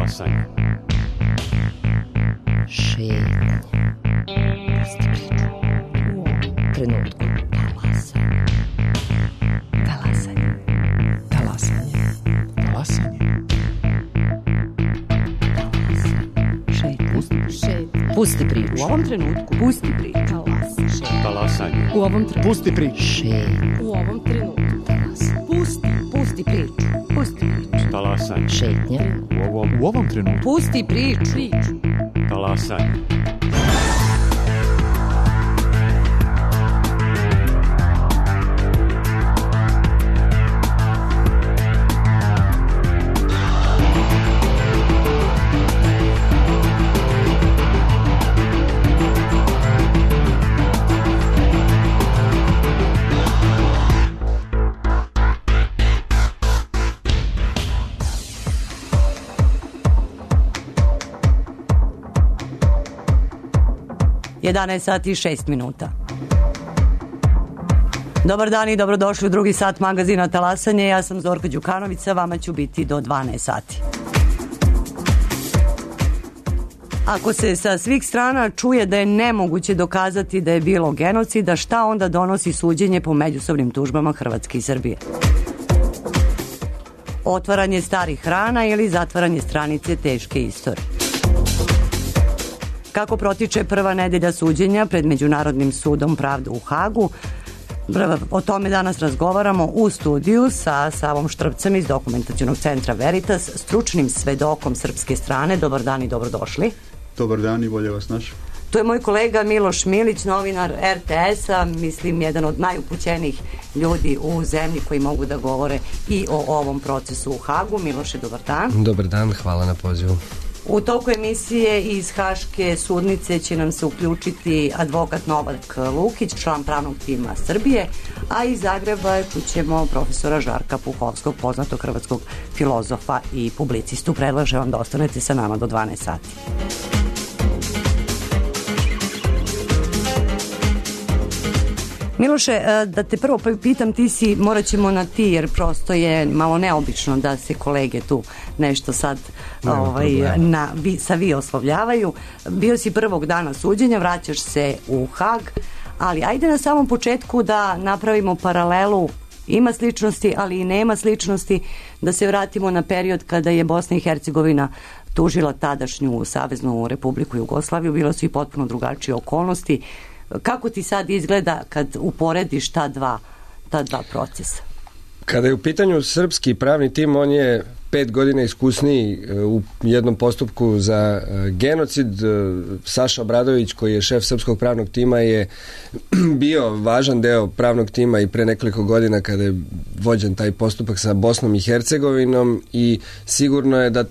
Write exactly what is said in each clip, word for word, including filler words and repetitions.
Talasanje. Šetnje. Pusti priču. U ovom trenutku. Talasanje. Talasanje. Talasanje. Talasanje. Šetnje. Pusti priču. U ovom trenutku. Pusti priču. Talasanje. U ovom trenutku. Pusti priču. Šetnje. U ovom trenutku. Pusti. Pusti priču. Pusti priču. Talasanje. Šetnje. U ovom, U ovom trenutku. Pusti priču. Priču. talasanje. jedanaest sati i šest minuta. Dobar dan i dobrodošli u drugi sat magazina Talasanje. Ja sam Zorka Đukanović, sa vama ću biti do dvanaest sati. Ako se sa svih strana čuje da je nemoguće dokazati da je bilo genocida, šta onda donosi suđenje po međusobnim tužbama Hrvatske i Srbije? Otvaranje starih rana ili zatvaranje stranice teške istorije? Kako protiče prva nedelja suđenja pred Međunarodnim sudom pravde u Hagu? O tome danas razgovaramo u studiju sa Savom Štrpcem iz Dokumentacionog centra Veritas, stručnim svedokom srpske strane. Dobar dan i dobrodošli. Dobar dan i bolje vas naš. Tu je moj kolega Miloš Milić, novinar er te es-a, mislim jedan od najupućenijih ljudi u zemlji koji mogu da govore i o ovom procesu u Hagu. Miloše, dobar dan. Dobar dan, hvala na pozivu. U toku emisije iz Haške sudnice će nam se uključiti advokat Novak Lukić, član pravnog tima Srbije, a iz Zagreba čućemo profesora Žarka Puhovskog, poznatog hrvatskog filozofa i publicistu. Predlažem vam da ostanete sa nama do dvanaest sati. Miloše, da te prvo pitam, ti si, morat ćemo na ti, jer prosto je malo neobično da se kolege tu nešto sad ovaj, na, vi, sa vi oslovljavaju. Bio si prvog dana suđenja, vraćaš se u Hag, ali ajde na samom početku da napravimo paralelu. Ima sličnosti, ali i nema sličnosti, da se vratimo na period kada je Bosna i Hercegovina tužila tadašnju Saveznu Republiku Jugoslaviju. Bilo su i potpuno drugačije okolnosti. Kako ti sad izgleda kad uporediš ta dva, ta dva procesa? Kada je u pitanju srpski pravni tim, on je pet godina iskusniji u jednom postupku za genocid. Saša Obradović, koji je šef srpskog pravnog tima, je bio važan deo pravnog tima i pre nekoliko godina kada je vođen taj postupak sa Bosnom i Hercegovinom, i sigurno je da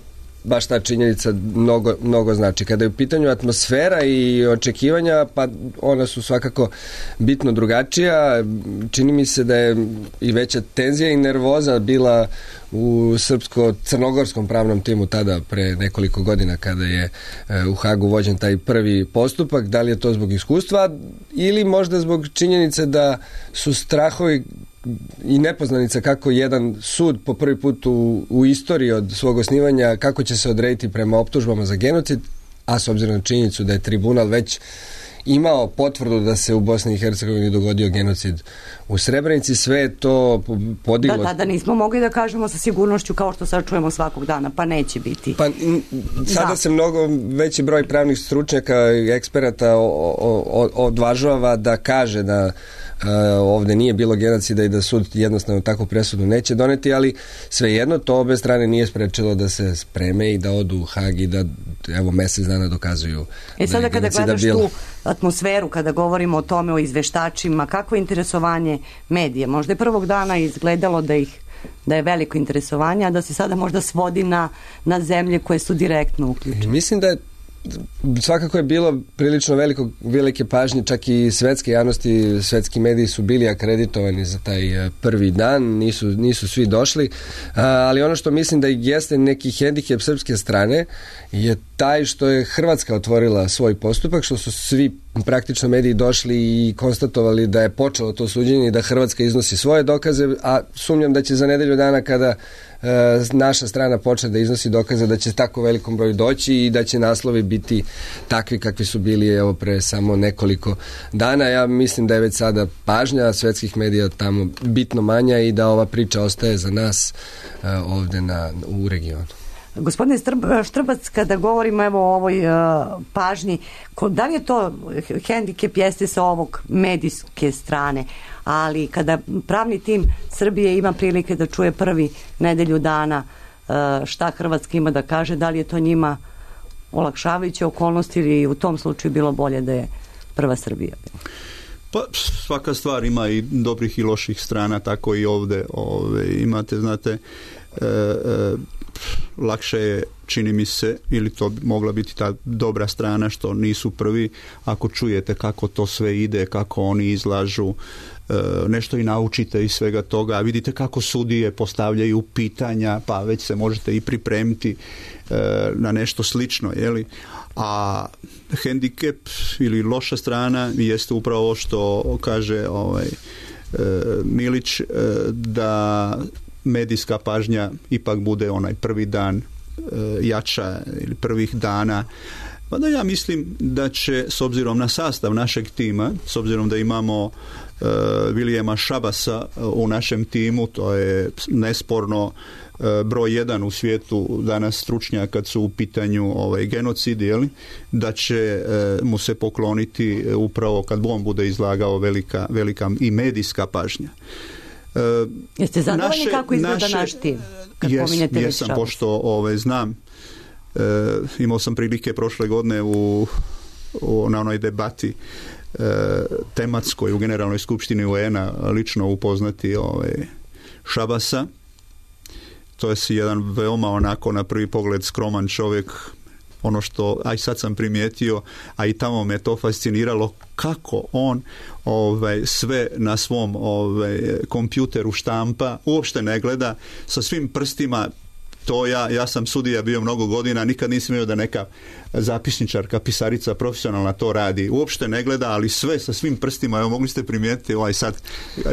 baš ta činjenica mnogo, mnogo znači. Kada je u pitanju atmosfera i očekivanja, pa ona su svakako bitno drugačija. Čini mi se da je i veća tenzija i nervoza bila u srpsko-crnogorskom pravnom timu tada pre nekoliko godina kada je u Hagu vođen taj prvi postupak. Da li je to zbog iskustva ili možda zbog činjenice da su strahovi i nepoznanica kako jedan sud po prvi put u, u istoriji od svog osnivanja, kako će se odrediti prema optužbama za genocid, a s obzirom na činjenicu da je tribunal već imao potvrdu da se u Bosni i Hercegovini dogodio genocid u Srebrenici, sve je to podiglo. Da, da, da nismo mogli da kažemo sa sigurnošću kao što sad čujemo svakog dana, pa neće biti. Pa sada da. se mnogo veći broj pravnih stručnjaka i eksperata o, o, odvažava da kaže da Uh, ovde nije bilo genocida i da sud jednostavno takvu presudu neće doneti, ali svejedno to obe strane nije sprečilo da se spreme i da odu u Hag i da evo mesec dana dokazuju. E sada da kada gledaš bilo. tu atmosferu, kada govorimo o tome, o izveštačima, kakvo je interesovanje medija? Možda je prvog dana izgledalo da ih da je veliko interesovanje, a da se sada možda svodi na, na zemlje koje su direktno uključene. Mislim da je svakako je bilo prilično veliko, velike pažnje, čak i svetske javnosti, svetski mediji su bili akreditovani za taj prvi dan, nisu, nisu svi došli, ali ono što mislim da jeste neki hendikep srpske strane je taj što je Hrvatska otvorila svoj postupak, što su svi praktično mediji došli i konstatovali da je počelo to suđenje i da Hrvatska iznosi svoje dokaze, a sumnjam da će za nedelju dana kada naša strana počne da iznosi dokaze da će tako velikom broju doći i da će naslovi biti takvi kakvi su bili evo pre samo nekoliko dana. Ja mislim da je već sada pažnja svetskih medija tamo bitno manja i da ova priča ostaje za nas ovde na, u regionu. Gospodine Štrbac, kada govorimo evo o ovoj uh, pažnji, da li je to hendikep jeste sa ovog medijske strane, ali kada pravni tim Srbije ima prilike da čuje prvi nedelju dana uh, šta Hrvatska ima da kaže, da li je to njima olakšavajuće okolnosti ili u tom slučaju bilo bolje da je prva Srbija? Pa svaka stvar ima i dobrih i loših strana, tako i ovde ove, imate, znate, e, e, lakše je, čini mi se, ili to bi mogla biti ta dobra strana što nisu prvi, ako čujete kako to sve ide, kako oni izlažu, e, nešto i naučite iz svega toga, vidite kako sudije postavljaju pitanja, pa već se možete i pripremiti e, na nešto slično, jeli? A hendikep ili loša strana jeste upravo što kaže ovaj, e, Milić, e, da medijska pažnja ipak bude onaj prvi dan e, jača ili prvih dana. Pa da ja mislim da će, s obzirom na sastav našeg tima, s obzirom da imamo e, Vilijema Šabasa u našem timu, to je nesporno broj jedan u svijetu danas stručnjak kad su u pitanju ovaj, genocidi, jeli, da će e, mu se pokloniti e, upravo kad on bude izlagao velika, velika i medijska pažnja. E, Jeste zadovoljni kako izgleda naše, naš tim? Kad jes, jesam, pošto ovaj, znam, e, imao sam prilike prošle godine u, u, na onoj debati e, tematskoj u Generalnoj skupštini U N A lično upoznati ovaj, Šabasa. To je si jedan veoma onako na prvi pogled skroman čovjek, ono što, a i sad sam primijetio, a i tamo me to fasciniralo, kako on ovaj, sve na svom ovaj, kompjuteru štampa, uopšte ne gleda, sa svim prstima. To ja, ja sam sudija bio mnogo godina, nikad nisam imao da neka zapisničarka, pisarica profesionalna to radi. Uopšte ne gleda, ali sve sa svim prstima, evo mogli ste primijetiti ovaj sad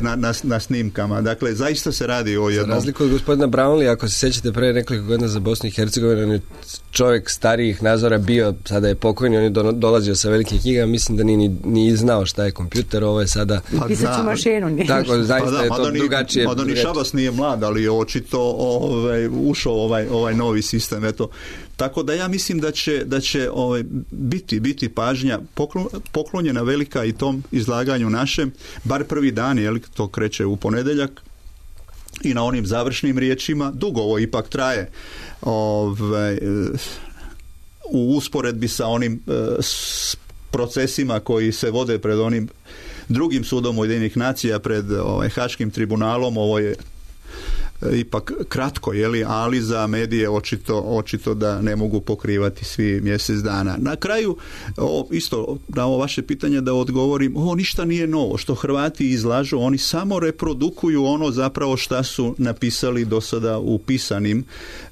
na, na, na snimkama. Dakle, zaista se radi o jednom... Za razliku od gospodina Brownlee, ako se sjećate pre nekoliko godina za Bosnu i Hercegovinu, on je čovjek starijih nazora bio, sada je pokojni, on je do, dolazio sa velikim knjigama, mislim da nije ni, ni znao šta je kompjuter, ovo je sada... Pa pisaću mašinu. Nije. Tako, zaista pa da, je to ni, drugačije. Mada ni Šabas nije mlad, ali je očito ovaj, ušao ovaj, ovaj novi sistem, eto. Tako da ja mislim da će, da će ovaj, biti, biti pažnja poklon, poklonjena velika i tom izlaganju našem, bar prvi dan, jel, to kreće u ponedjeljak, i na onim završnim riječima. Dugo ovo ipak traje, ovaj, u usporedbi sa onim s procesima koji se vode pred onim drugim sudom Ujedinjenih nacija, pred ovaj, Haškim tribunalom. Ovo je ipak kratko, jeli, ali za medije očito, očito da ne mogu pokrivati svi mjesec dana. Na kraju, o, isto na ovo vaše pitanje da odgovorim, ovo ništa nije novo. Što Hrvati izlažu, oni samo reprodukuju ono zapravo šta su napisali do sada u pisanim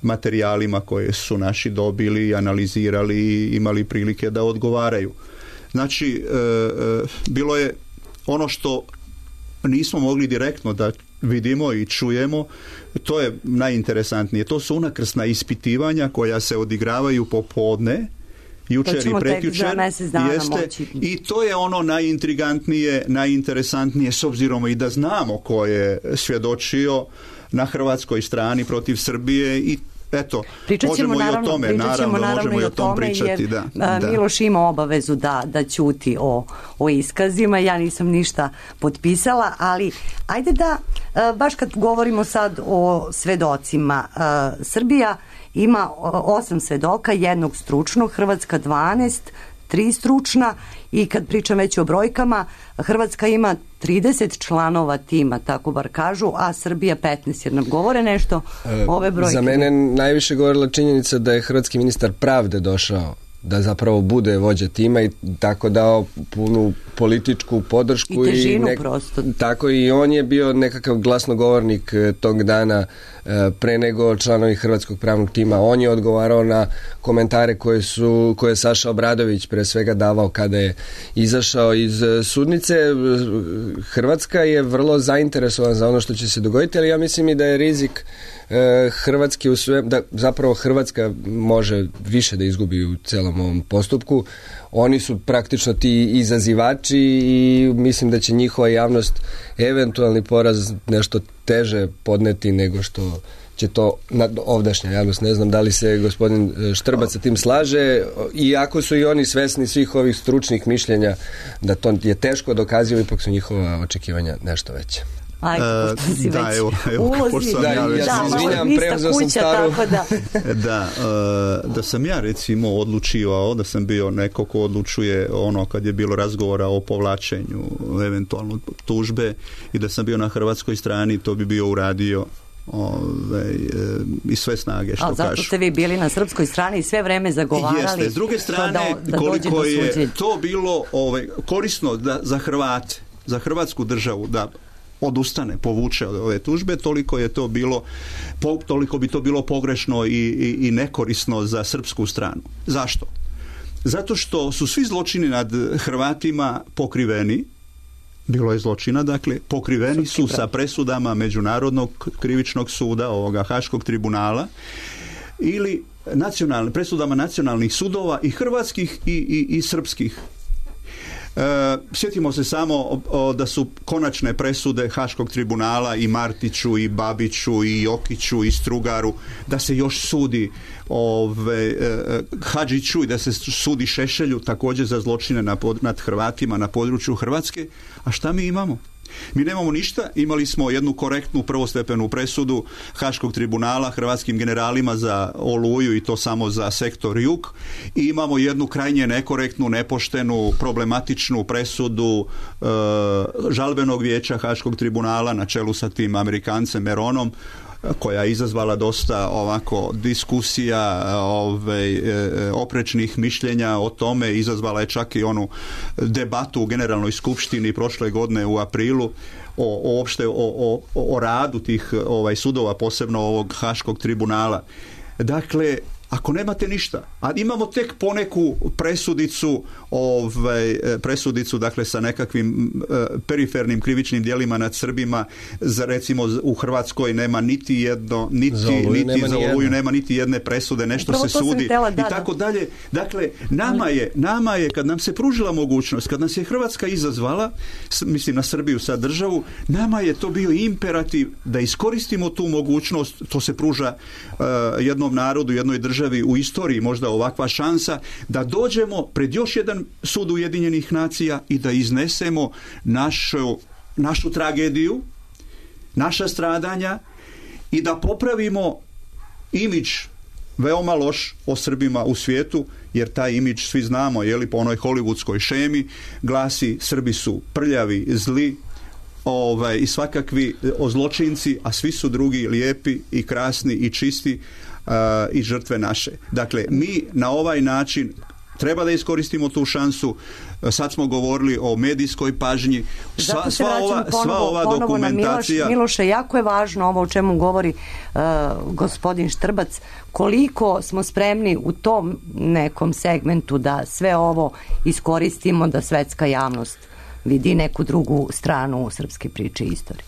materijalima koje su naši dobili, analizirali i imali prilike da odgovaraju. Znači, e, e, bilo je ono što nismo mogli direktno da vidimo i čujemo, to je najinteresantnije. To su unakrsna ispitivanja koja se odigravaju popodne, jučer i prekjučer, jeste, i to je ono najintrigantnije, najinteresantnije, s obzirom i da znamo ko je svjedočio na hrvatskoj strani protiv Srbije i eto, možemo naravno, i o tome, naravno, naravno možemo i o tom pričati, jer, da, da. Miloš ima obavezu da, da ćuti o, o iskazima, ja nisam ništa potpisala, ali ajde da, baš kad govorimo sad o svedocima, Srbija ima osam svedoka, jednog stručnog, Hrvatska dvanaest, tri stručna, i kad pričam već o brojkama, Hrvatska ima trideset članova tima, tako bar kažu, a Srbija petnaest, jer nam govore nešto ove brojke. Za mene najviše govorila činjenica da je hrvatski ministar pravde došao da zapravo bude vođa tima i tako dao punu političku podršku i težinu i nek- prosto. Tako i on je bio nekakav glasnogovornik tog dana pre nego članovi hrvatskog pravnog tima. On je odgovarao na komentare koje su koje je Saša Obradović pre svega davao kada je izašao iz sudnice. Hrvatska je vrlo zainteresovana za ono što će se dogoditi, ali ja mislim i da je rizik Hrvatske u sve, da zapravo Hrvatska može više da izgubi u celom ovom postupku. Oni su praktično ti izazivači i mislim da će njihova javnost eventualni poraz nešto teže podneti nego što će to ovdašnja javnost. Ne znam da li se gospodin Štrbac sa tim slaže, iako su i oni svesni svih ovih stručnih mišljenja da to je teško dokazivo, ipak su njihova očekivanja nešto veće. Ajde, pošto si da, već evo, evo, ulozi. sam ja, Da, ja da, sam izvinjam, nista preuzeo sam kuća, staru. tako da. da, uh, da sam ja recimo odlučivao, da sam bio neko ko odlučuje ono kad je bilo razgovora o povlačenju eventualno tužbe i da sam bio na hrvatskoj strani, to bi bio uradio Ove, e, i sve snage što kažu. Ali zato ste vi bili na srpskoj strani i sve vreme zagovarali. Jeste, s druge strane da, da koliko je to bilo ove, korisno da, za Hrvate, za Hrvatsku državu da odustane, povuče od ove tužbe, toliko je to bilo po, toliko bi to bilo pogrešno i, i, i nekorisno za srpsku stranu. Zašto? Zato što su svi zločini nad Hrvatima pokriveni. Bilo je zločina, dakle, pokriveni su sa presudama Međunarodnog krivičnog suda, ovoga Haškog tribunala, ili nacionalne, presudama nacionalnih sudova i hrvatskih i, i, i srpskih. E, sjetimo se samo o, o, da su konačne presude Haškog tribunala i Martiću i Babiću i Jokiću i Strugaru, da se još sudi ove, e, Hadžiću i da se sudi Šešelju također za zločine na pod, nad Hrvatima na području Hrvatske. A šta mi imamo? Mi nemamo ništa, imali smo jednu korektnu prvostepenu presudu Haškog tribunala hrvatskim generalima za Oluju i to samo za sektor jug i imamo jednu krajnje nekorektnu, nepoštenu, problematičnu presudu e, žalbenog vijeća Haškog tribunala na čelu sa tim Amerikancem Meronom, koja je izazvala dosta ovako diskusija, ove, oprečnih mišljenja o tome, izazvala je čak i onu debatu u Generalnoj skupštini prošle godine u aprilu o, o opšte o, o, o radu tih ovaj, sudova, posebno ovog Haškog tribunala. Dakle, ako nemate ništa, a imamo tek poneku presudicu, ovaj, presudicu dakle sa nekakvim e, perifernim krivičnim djelima nad Srbima, za, recimo u Hrvatskoj nema niti jedno, niti za Oluju, niti nema, za Oluju nema niti jedne presude, nešto upravo se sudi tela, da, i tako dalje. Dakle, nama je, nama je, kad nam se pružila mogućnost, kad nas je Hrvatska izazvala, mislim na Srbiju sad državu, nama je to bio imperativ da iskoristimo tu mogućnost, to se pruža uh, jednom narodu, jednoj državi u istoriji možda ovakva šansa da dođemo pred još jedan sud Ujedinjenih nacija i da iznesemo našu, našu tragediju, naša stradanja i da popravimo imidž veoma loš o Srbima u svijetu, jer taj imidž svi znamo, je li po onoj hollywoodskoj šemi glasi Srbi su prljavi, zli, ovaj, i svakakvi zločinci, a svi su drugi lijepi i krasni i čisti uh, i žrtve naše. Dakle, mi na ovaj način treba da iskoristimo tu šansu. Sad smo govorili o medijskoj pažnji. Sva, sva ova, ponovo, sva ova dokumentacija... Miloš, Miloše, jako je važno ovo o čemu govori uh, gospodin Štrbac, koliko smo spremni u tom nekom segmentu da sve ovo iskoristimo, da svetska javnost vidi neku drugu stranu srpske priče i istorije.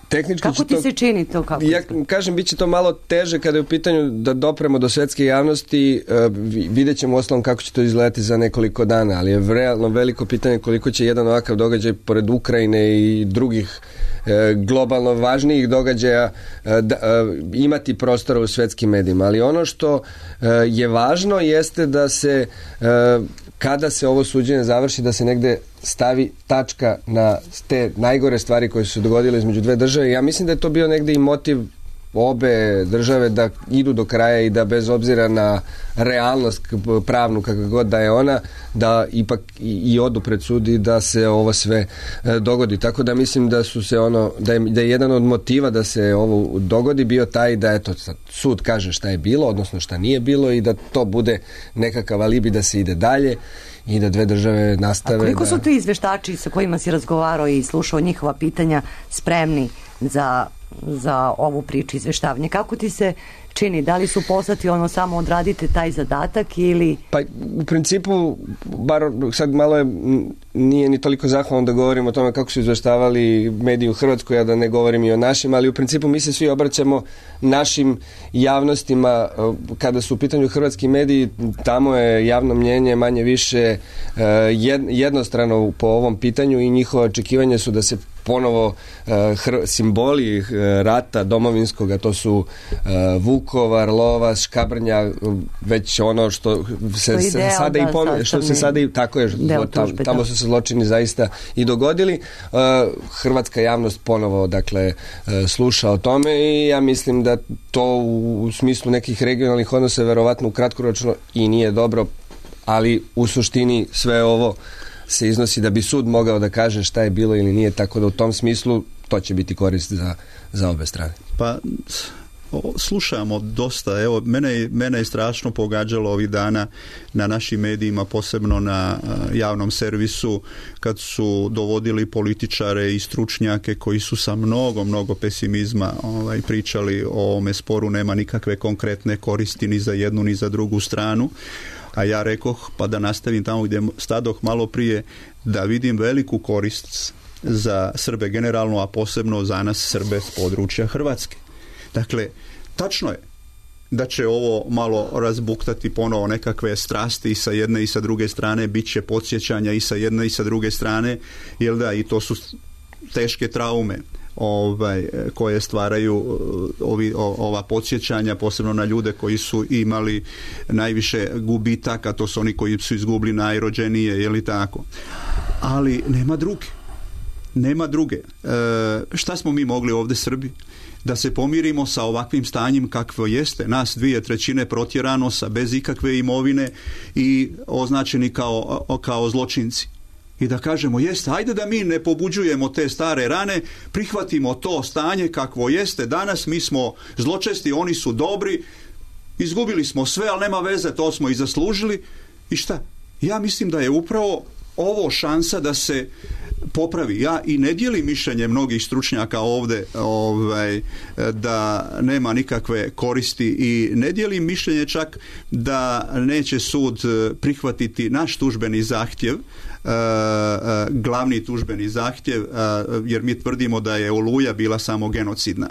Tehnički kako ti to, se čini to? Kako ja kažem, bit će to malo teže kada je u pitanju da dopremo do svetske javnosti. Uh, vidjet ćemo uostalom kako će to izgledati za nekoliko dana, ali je realno veliko pitanje koliko će jedan ovakav događaj pored Ukrajine i drugih uh, globalno važnijih događaja uh, da, uh, imati prostora u svetskim medijima. Ali ono što uh, je važno jeste da se uh, kada se ovo suđenje završi, da se negde stavi tačka na te najgore stvari koje su se dogodile između dve države. Ja mislim da je to bio negde i motiv obe države da idu do kraja i da bez obzira na realnost pravnu kakva god da je ona, da ipak i, i odu pred sud i da se ovo sve e, dogodi. Tako da mislim da su se ono, da je, da je jedan od motiva da se ovo dogodi bio taj da eto sud kaže šta je bilo, odnosno šta nije bilo i da to bude nekakav alibi da se ide dalje i da dve države nastave. A koliko da... su ti izveštači sa kojima si razgovarao i slušao njihova pitanja spremni za, za ovu priču izveštavanja? Kako ti se čini? Da li su poslati ono samo odradite taj zadatak ili... Pa u principu, bar sad malo je, nije ni toliko zahvalno da govorim o tome kako su izveštavali mediji u Hrvatskoj, ja da ne govorim i o našim, ali u principu mi se svi obraćamo našim javnostima. Kada su u pitanju hrvatski mediji, tamo je javno mnjenje manje više jednostrano po ovom pitanju i njihova očekivanja su da se ponovo hr- simboli rata domovinskoga, to su Vukovar, Lovas, Škabrnja, već ono što se sada i pom- što se sada i tako je, tam, tamo su se zločini zaista i dogodili. Hrvatska javnost ponovo dakle sluša o tome i ja mislim da to u, u smislu nekih regionalnih odnosa verovatno kratkoročno i nije dobro, ali u suštini sve ovo se iznosi da bi sud mogao da kaže šta je bilo ili nije, tako da u tom smislu to će biti korist za, za obe strane. Pa slušamo dosta, evo mene, mene je strašno pogađalo ovih dana na našim medijima, posebno na javnom servisu, kad su dovodili političare i stručnjake koji su sa mnogo, mnogo pesimizma ovaj, pričali o ovome sporu, nema nikakve konkretne koristi ni za jednu ni za drugu stranu. A ja rekoh, pa da nastavim tamo gdje stadoh malo prije, da vidim veliku korist za Srbe generalno, a posebno za nas Srbe s područja Hrvatske. Dakle, tačno je da će ovo malo razbuktati ponovo nekakve strasti i sa jedne i sa druge strane, bit će podsjećanja i sa jedne i sa druge strane, jel da, i to su teške traume ovaj, koje stvaraju ovi, o, ova podsjećanja, posebno na ljude koji su imali najviše gubitaka, to su oni koji su izgubili najrođenije, je li tako? Ali nema druge. Nema druge. E, šta smo mi mogli ovdje Srbi? Da se pomirimo sa ovakvim stanjem kakvo jeste, nas dvije trećine protjerano sa bez ikakve imovine i označeni kao, kao zločinci. I da kažemo, jeste, ajde da mi ne pobuđujemo te stare rane, prihvatimo to stanje kakvo jeste danas, mi smo zločesti, oni su dobri, izgubili smo sve, ali nema veze, to smo i zaslužili. I šta? Ja mislim da je upravo ovo šansa da se popravi. Ja i ne dijelim mišljenje mnogih stručnjaka ovdje ovaj, da nema nikakve koristi i ne dijelim mišljenje čak da neće sud prihvatiti naš tužbeni zahtjev, glavni tužbeni zahtjev, jer mi tvrdimo da je Oluja bila samo genocidna.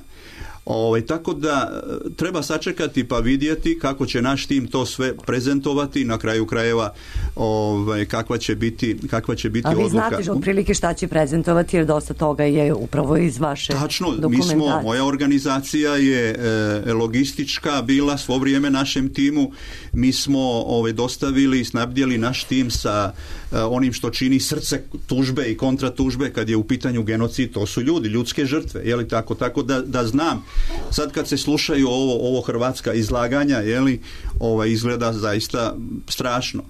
Ovaj, tako da treba sačekati pa vidjeti kako će naš tim to sve prezentovati, na kraju krajeva ovaj, kakva će biti, kakva će biti odluka. A vi znate otprilike šta će prezentovati, jer dosta toga je upravo iz vaše Tačno, dokumentacije. mi smo, moja organizacija je e, logistička bila svo vrijeme našem timu, mi smo ovaj, dostavili i snabdjeli naš tim sa e, onim što čini srce tužbe i kontratužbe kad je u pitanju genocid, to su ljudi, ljudske žrtve, je li tako, tako da, da znam. Sad kad se slušaju ovo, ovo hrvatska izlaganja, je li, ovaj, izgleda zaista strašno.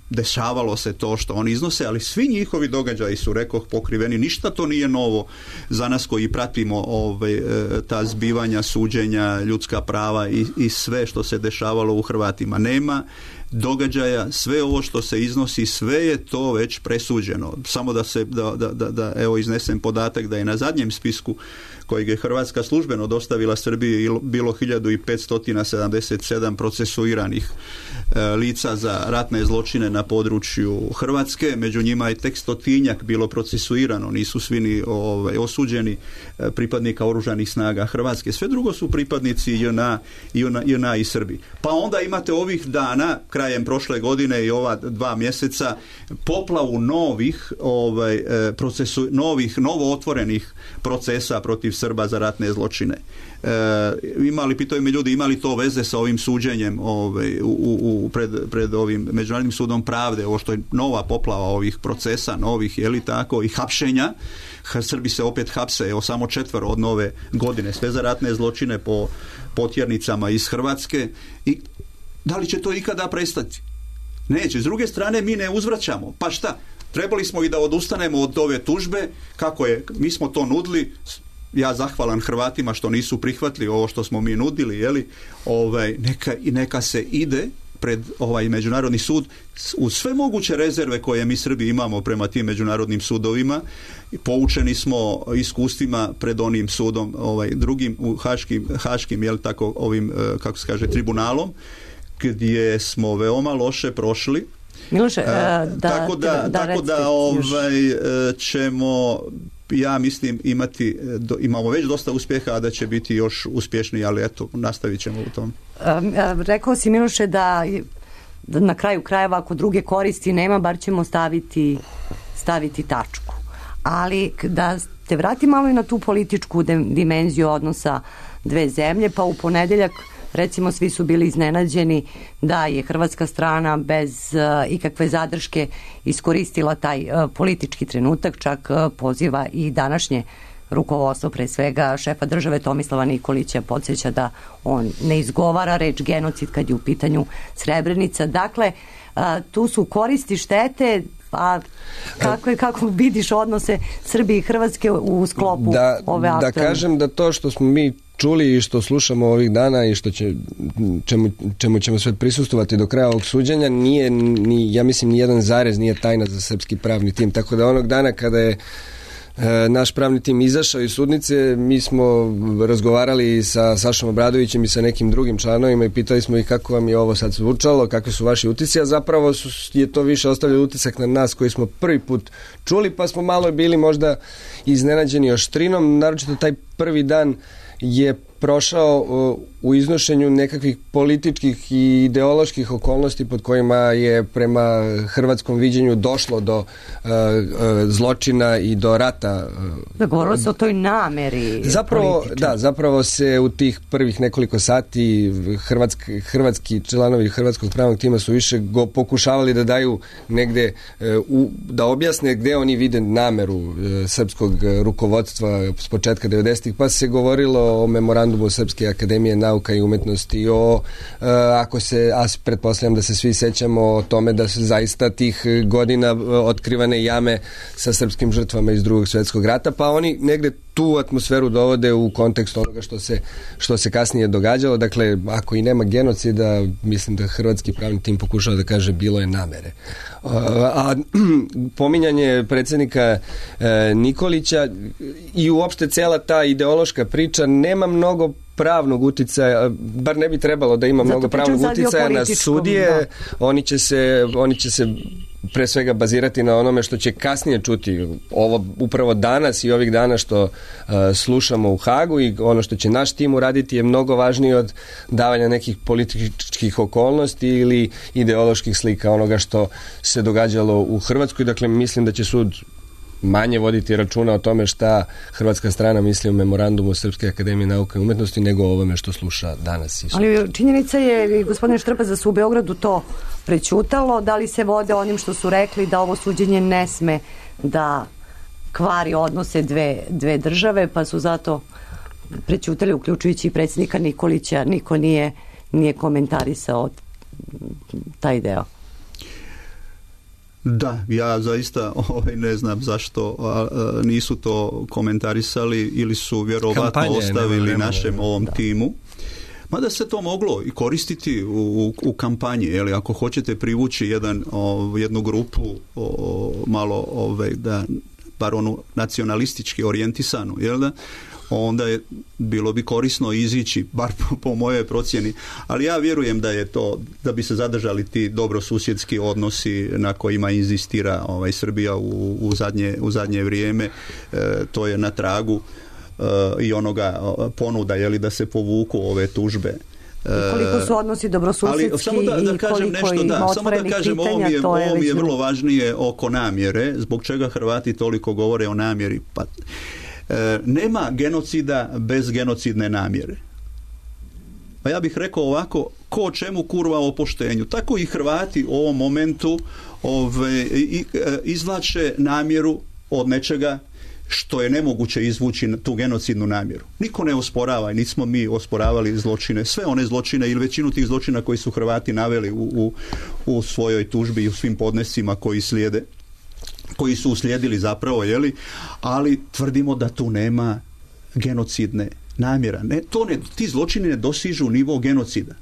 Dešavalo se to što oni iznose, ali svi njihovi događaji su, rekoh, pokriveni. Ništa to nije novo za nas koji pratimo ovaj, ta zbivanja, suđenja, ljudska prava i, i sve što se dešavalo u Hrvatima. Nema događaja, sve ovo što se iznosi, sve je to već presuđeno. Samo da se, da, da, da, da evo iznesem podatak da je na zadnjem spisku kojeg je Hrvatska službeno dostavila Srbiji bilo hiljadu petsto sedamdeset sedam procesuiranih e, lica za ratne zločine na području Hrvatske. Među njima je tek stotinjak bilo procesuirano, nisu svi ni ovaj, osuđeni e, pripadnika oružanih snaga Hrvatske. Sve drugo su pripadnici J N A, J N A, J N A i Srbi. Pa onda imate ovih dana, krajem prošle godine i ova dva mjeseca poplavu novih ovaj, procesu, novih, novo otvorenih procesa protiv Srba za ratne zločine. E, imali, pitaju me ljudi, imali to veze sa ovim suđenjem ovaj, u, u, pred, pred ovim Međunarodnim sudom pravde, ovo što je nova poplava ovih procesa, novih, je li tako, i hapšenja. Srbi se opet hapse, evo samo četvero od nove godine, sve za ratne zločine po potjernicama iz Hrvatske. I da li će to ikada prestati? Neće. S druge strane, mi ne uzvraćamo. Pa šta? Trebali smo i da odustanemo od ove tužbe, kako je, mi smo to nudili, ja zahvalan Hrvatima što nisu prihvatili ovo što smo mi nudili, jeli, ovaj, neka, neka se ide pred ovaj međunarodni sud uz sve moguće rezerve koje mi Srbi imamo prema tim međunarodnim sudovima. Poučeni smo iskustvima pred onim sudom, ovaj drugim u haškim, haškim jel tako, ovim, kako se kaže, tribunalom, gdje smo veoma loše prošli. Miloše, uh, da, tako da, da, tako da ovaj, ćemo, ja mislim, imati, do, imamo već dosta uspjeha, a da će biti još uspješniji, ali eto, nastavit ćemo u tom. Um, rekao si, Miloše, da, da na kraju krajeva, ako druge koristi nema, bar ćemo staviti, staviti tačku. Ali da te vrati malo i na tu političku dimenziju odnosa dve zemlje, pa u ponedjeljak recimo svi su bili iznenađeni da je hrvatska strana bez uh, ikakve zadrške iskoristila taj uh, politički trenutak, čak uh, poziva i današnje rukovodstvo, pre svega šefa države Tomislava Nikolića, podsjeća da on ne izgovara reč genocid kad je u pitanju Srebrenica. Dakle, uh, tu su koristi, štete, a kako, je, kako vidiš odnose Srbije i Hrvatske u sklopu da, ove aktualne? Da kažem da to što smo mi čuli i što slušamo ovih dana i što će, čemu, čemu ćemo sve prisustovati do kraja ovog suđenja, nije, ni, ja mislim, ni jedan zarez nije tajna za srpski pravni tim. Tako da onog dana kada je e, naš pravni tim izašao iz sudnice, mi smo razgovarali sa Sašom Obradovićem i sa nekim drugim članovima i pitali smo ih kako vam je ovo sad zvučalo, kakvi su vaši utisci, a zapravo su, je to više ostavljalo utisak na nas koji smo prvi put čuli, pa smo malo bili možda iznenađeni oštrinom, naročito taj prvi dan je prošao u iznošenju nekakvih političkih i ideoloških okolnosti pod kojima je prema hrvatskom viđenju došlo do uh, uh, zločina i do rata. Da, govorilo se o toj nameri zapravo, političan. Da, zapravo se u tih prvih nekoliko sati hrvatski, hrvatski članovi hrvatskog pravnog tima su više go pokušavali da daju negde, uh, u, da objasne gde oni vide nameru uh, srpskog rukovodstva s početka devedesetih, pa se govorilo o memorandumu Srpske akademije nauka i umetnosti, o, e, ako se, a pretpostavljam da se svi sećamo o tome da su zaista tih godina otkrivane jame sa srpskim žrtvama iz Drugog svjetskog rata, pa oni negde tu atmosferu dovode u kontekst onoga što se, što se kasnije događalo. Dakle, ako i nema genocida, mislim da hrvatski pravni tim pokušava da kaže bilo je namere. A, a pominjanje predsjednika e, Nikolića i uopšte cela ta ideološka priča nema mnogo pravnog uticaja, bar ne bi trebalo da ima Zato mnogo pravnog uticaja na sudije. Da. Oni će se, oni će se pre svega bazirati na onome što će kasnije čuti. Ovo upravo danas i ovih dana što uh, slušamo u Hagu i ono što će naš tim uraditi je mnogo važnije od davanja nekih političkih okolnosti ili ideoloških slika onoga što se događalo u Hrvatskoj. Dakle, mislim da će sud manje voditi računa o tome šta hrvatska strana misli o memorandumu Srpske akademije nauke i umetnosti nego o ovome što sluša danas. Ali činjenica je, gospodine Štrpec, da su u Beogradu to prećutalo. Da li se vode onim što su rekli da ovo suđenje ne sme da kvari odnose dve, dve države, pa su zato prećutali, uključujući i predsjednika Nikolića. Niko nije, nije komentarisao taj deo. Da, ja zaista ovaj, ne znam zašto a, a, nisu to komentarisali ili su vjerovatno Kampanje, ostavili nema, nema, našem nema, ovom da. timu. Mada se to moglo i koristiti u, u kampanji, jeli, ako hoćete privući jedan, o, jednu grupu o, malo ovaj, da, bar onu nacionalistički orijentisanu, jel da? Onda je bilo bi korisno izići, bar po, po mojoj procjeni, ali ja vjerujem da je to, da bi se zadržali ti dobrosusjedski odnosi na kojima inzistira ovaj, Srbija u, u, zadnje, u zadnje vrijeme, e, to je na tragu e, i onoga ponuda, jeli, da se povuku ove tužbe I koliko su odnosi dobrosusjedski ali samo da, da kažem i nešto, koliko da, ima samo da otvorenih kažem, pitanja, ovo mi je, to je ovo mi je već- vrlo važnije oko namjere, zbog čega Hrvati toliko govore o namjeri. Pa, e, nema genocida bez genocidne namjere. Pa ja bih rekao ovako, ko o čemu kurva o poštenju. Tako i Hrvati u ovom momentu ove, i, e, izvlače namjeru od nečega što je nemoguće izvući tu genocidnu namjeru. Niko ne osporava i nismo mi osporavali zločine. Sve one zločine ili većinu tih zločina koji su Hrvati naveli u, u, u svojoj tužbi i u svim podnescima koji slijede, koji su uslijedili zapravo, jeli, ali tvrdimo da tu nema genocidne namjera. Ne, to ne, ti zločini ne dosižu nivo genocida.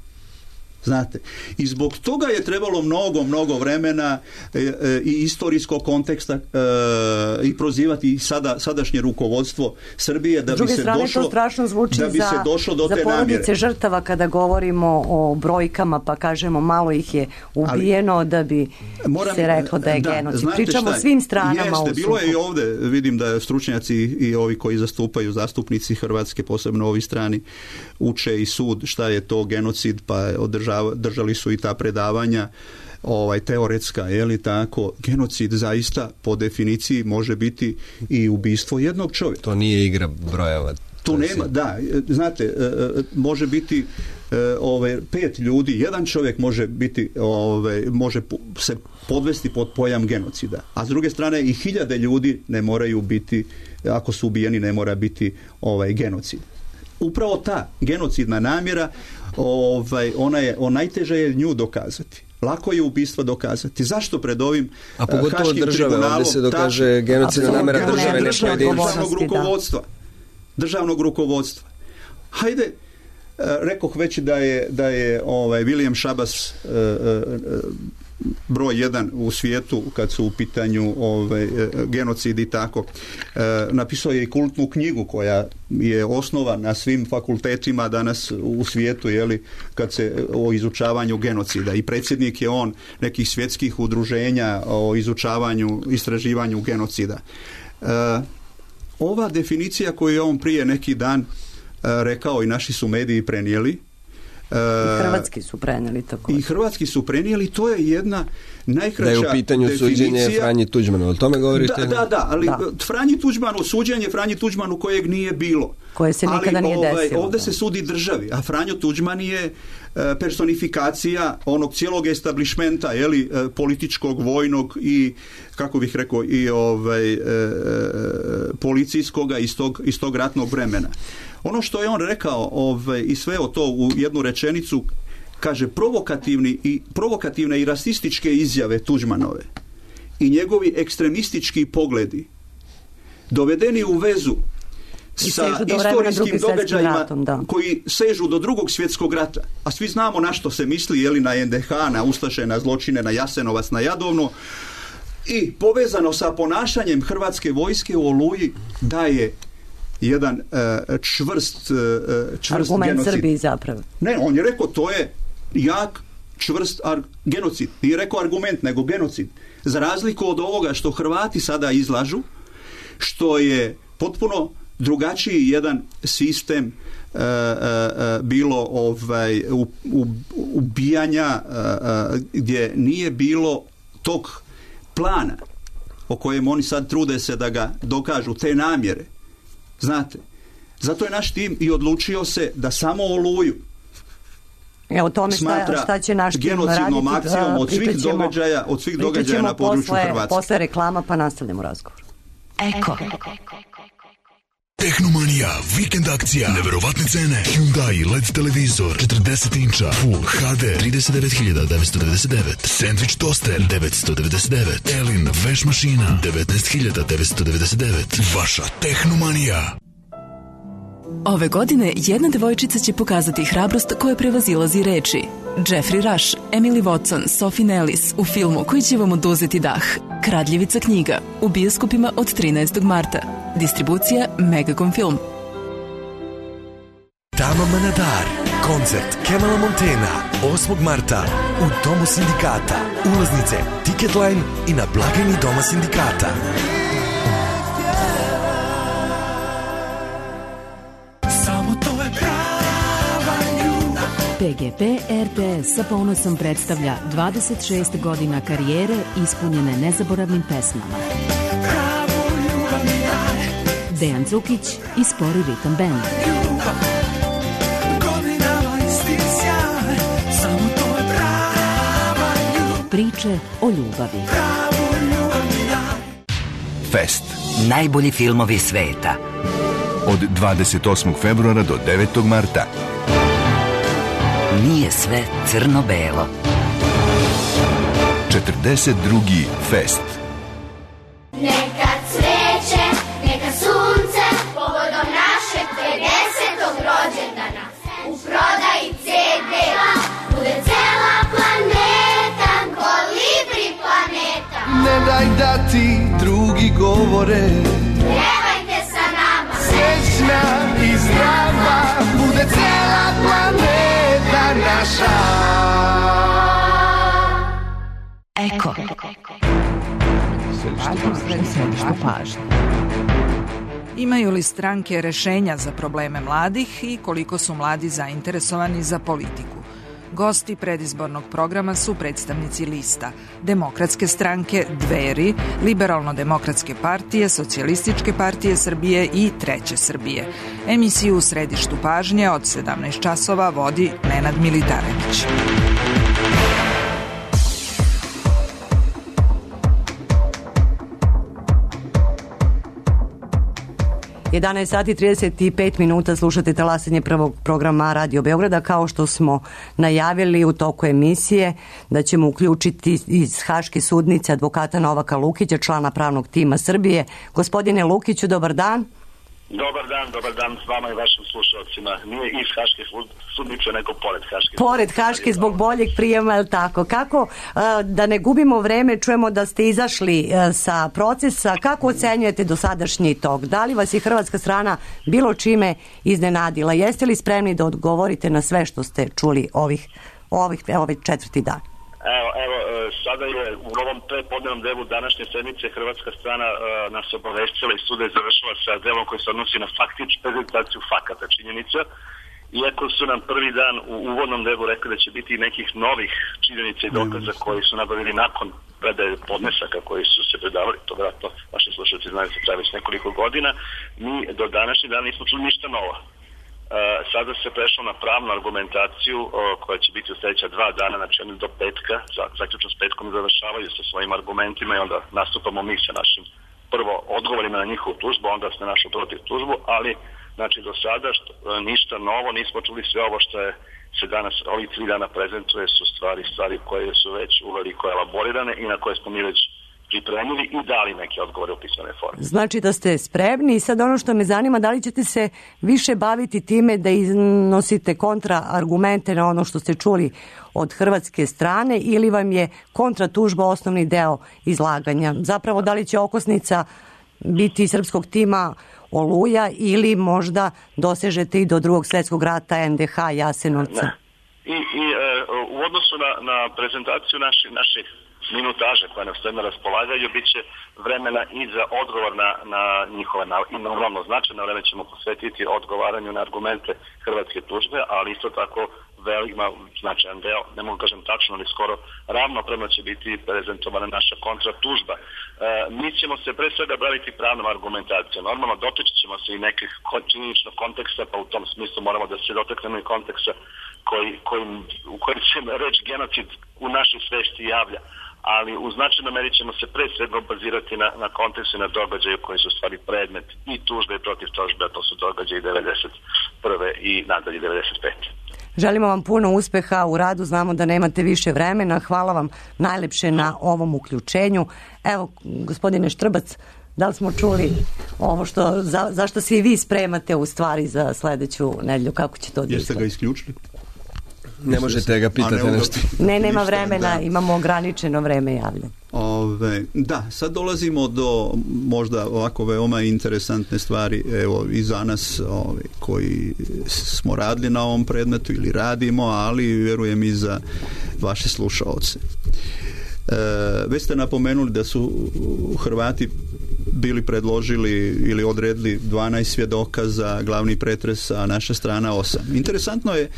Znate, i zbog toga je trebalo mnogo, mnogo vremena e, e, i istorijskog konteksta e, i prozivati sada, sadašnje rukovodstvo Srbije da bi se strane, došlo, to strašno zvuči da bi za, se došlo do za te porodice namjere. žrtava kada govorimo o brojkama, pa kažemo malo ih je ubijeno, ali, da bi moram, se reklo da je da, genocid. Pričamo o svim stranama. Jeste, u bilo je i ovdje, vidim da stručnjaci i ovi koji zastupaju, zastupnici Hrvatske, posebno ovi strani, uče i sud šta je to genocid, pa održavaju držali su i ta predavanja ovaj teoretska, je li tako? Genocid zaista po definiciji može biti i ubistvo jednog čovjeka. To nije igra brojeva. Tu nema, da, znate, može biti ovaj pet ljudi, jedan čovjek može biti ovaj može se podvesti pod pojam genocida. A s druge strane i hiljade ljudi ne moraju biti, ako su ubijeni, ne mora biti ovaj genocid. Upravo ta genocidna namjera, ovaj, ona je, on najteže je nju dokazati. Lako je ubistvo dokazati. Zašto pred ovim A pogotovo države, ovdje se dokaže ta, genocidna namjera države, ne pojedinca. Državnog rukovodstva. Državnog rukovodstva. Hajde, rekoh već da je, da je ovaj, William Shabazz uh, uh, broj jedan u svijetu kad su u pitanju ovaj, genocid i tako. E, napisao je i kultnu knjigu koja je osnova na svim fakultetima danas u svijetu, jeli, kad se o izučavanju genocida. I predsjednik je on nekih svjetskih udruženja o izučavanju, istraživanju genocida. E, ova definicija koju je on prije neki dan e, rekao i naši su mediji prenijeli, I hrvatski su prenijeli tako. I hrvatski su prenijeli, to je jedna najkraća definicija. Da je u pitanju definicija. Suđenje Franji Tuđmanu, o tome govorite? Da, da, da, ali da. Franji Tuđmanu, suđenje Franji Tuđmanu kojeg nije bilo. Koje se nikada ali, nije ovaj, desilo. Ovdje se sudi državi, a Franjo Tuđman je personifikacija onog cijelog establišmenta, jeli, političkog, vojnog i, kako bih rekao, i ovaj, policijskoga iz tog, iz tog ratnog vremena. Ono što je on rekao ovaj, i sve o to u jednu rečenicu, kaže provokativni i, provokativne i rasističke izjave Tuđmanove i njegovi ekstremistički pogledi dovedeni u vezu sa istorijskim događajima ratom, da. koji sežu do drugog svjetskog rata, a svi znamo na što se misli, jeli, na en de ha, na ustaše, na zločine, na Jasenovac, na Jadovno, i povezano sa ponašanjem hrvatske vojske u Oluji daje jedan uh, čvrst, uh, čvrst argument genocid. Srbiji zapravo. Ne, on je rekao to je jak, čvrst ar- genocid. Nije rekao argument, nego genocid. Za razliku od ovoga što Hrvati sada izlažu, što je potpuno drugačiji jedan sistem uh, uh, bilo ovaj u, u, ubijanja uh, uh, gdje nije bilo tog plana o kojem oni sad trude se da ga dokažu, te namjere. Znate, zato je naš tim i odlučio se da samo Oluju Evo tome šta, šta će naš tim raditi, akcijom od svih ćemo, događaja, od svih događaja na području posle, Hrvatske. Posle reklama pa nastavljamo razgovor. Eko. Tehnomanija, vikend akcija, neverovatne cene, Hyundai el e de televizor, četrdeset inča, Full ha de, trideset devet hiljada devetsto devedeset devet, Sandwich toster, devetsto devedeset devet, Elin veš mašina, devetnaest hiljada devetsto devedeset devet, vaša Tehnomanija. Ove godine jedna devojčica će pokazati hrabrost koja prevazilazi reči. Jeffrey Rush, Emily Watson, Sophie Nellis u filmu koji će vam oduzeti dah. Kradljivica knjiga u bioskopima od trinaestog marta. Distribucija Megacom Film. Tama Manadar, koncert Kemala Montena, osmog marta u Domu sindikata. Ulaznice Ticketline i na blagajni Doma sindikata. P G P R T S sa ponosom predstavlja dvadeset šest godina karijere ispunjene nezaboravnim pesmama. Dejan Cukić i Spori ritam band. Priče o ljubavi. Fest. Najbolji filmovi sveta. Od dvadeset osmog februara do devetog marta. Nije sve crno-belo. četrdeset drugi Fest. Neka cveće, neka sunce, povodom našeg pedesetog rođendana. U prodaji ce de bude cela planeta, kolibri planeta. Ne daj da ti drugi govore, pjevajte sa nama. Srećna i zdrava bude cela planeta naša. Eko. Središte pažnje. Imaju li stranke rešenja za probleme mladih i koliko su mladi zainteresovani za politiku? Gosti predizbornog programa su predstavnici lista Demokratske stranke, Dveri, Liberalno-demokratske partije, Socijalističke partije Srbije i Treće Srbije. Emisiju u središtu pažnje od sedamnaest časova vodi Nenad Militarević. jedanaest sati trideset pet minuta, slušate talasanje prvog programa Radio Beograda. Kao što smo najavili u toku emisije da ćemo uključiti iz Haške sudnice advokata Novaka Lukića, člana pravnog tima Srbije. Gospodine Lukiću, dobar dan. Dobar dan, dobar dan s vama i vašim slušalcima. Nije iz Haške sudnice, nego pored Haške. Pored Haške, zbog boljeg prijema, je li tako? Kako, da ne gubimo vreme, čujemo da ste izašli sa procesa, kako ocenjujete dosadašnji tok? Da li vas je hrvatska strana bilo čime iznenadila? Jeste li spremni da odgovorite na sve što ste čuli ovih, ovih, ovih četvrti dan? Evo, evo, sada je u ovom prepodnevnom delu današnje sedmice hrvatska strana uh, nas obavestila i suda je završila sa delom koji se odnosi na faktičnu prezentaciju fakata činjenica. Iako su nam prvi dan u uvodnom delu rekli da će biti nekih novih činjenica i dokaza koji su nabavili nakon predaje podnesaka koji su se predavali, to vjerojatno vaši slušalci znaju se traje već nekoliko godina, mi do današnjeg dana nismo čuli ništa novo. Uh, sada se prešlo na pravnu argumentaciju uh, koja će biti u sljedeća dva dana, znači oni do petka, zaključno s petkom završavaju sa svojim argumentima i onda nastupamo mi sa našim prvo odgovorima na njihovu tužbu, onda se našu protiv tužbu, ali znači do sada što, uh, ništa novo, nismo čuli sve ovo što je se danas, ovih tri dana prezentuje su stvari, stvari koje su već uveliko elaborirane i na koje smo mi već pripremili i dali neke odgovore u pisane forme. Znači da ste spremni i sad ono što me zanima, da li ćete se više baviti time da iznosite kontraargumente na ono što ste čuli od hrvatske strane ili vam je kontratužba osnovni deo izlaganja? Zapravo da li će okosnica biti srpskog tima Oluja ili možda dosežete i do drugog svjetskog rata, en de ha, Jasenovca? Ne. I, i e, u odnosu na, na prezentaciju naši, naših minutaže koje nam sve na raspolaganju, bit će vremena i za odgovor na, na njihove i normalno značajno vreme ćemo posvetiti odgovaranju na argumente hrvatske tužbe, ali isto tako velima značajan deo, ne mogu kažem tačno, ali skoro ravnopravno će biti prezentovana naša kontratužba. E, mi ćemo se pre svega baviti pravnom argumentacijom. Normalno doteći ćemo se i nekih činjeničnog konteksta, pa u tom smislu moramo da se dotaknemo i konteksta koji, koji, u kojem se reč genocid u našoj svesti javlja. Ali u značajnoj meri ćemo se pre svega bazirati na, na kontekstu i na događaju koji su stvari predmet i tužbe i protiv tužbe, a to su događaji devedeset prve i nadalje devedeset pete. Želimo vam puno uspeha u radu, znamo da nemate više vremena, hvala vam najlepše na ovom uključenju. Evo, gospodine Štrbac, da li smo čuli ovo što, za, zašto se i vi spremate u stvari za sledeću nedelju, kako će to odjeti? Jeste ga isključili? Ne možete ga pitati nešto. Ne, nema vremena, imamo ograničeno vreme javljanja. Ove, da, sad dolazimo do možda ovako veoma interesantne stvari, evo i za nas ove, koji smo radili na ovom predmetu ili radimo, ali vjerujem i za vaše slušaoce. E, već ste napomenuli da su Hrvati bili predložili ili odredili dvanaest svjedoka za glavni pretres, a naša strana osam. Interesantno je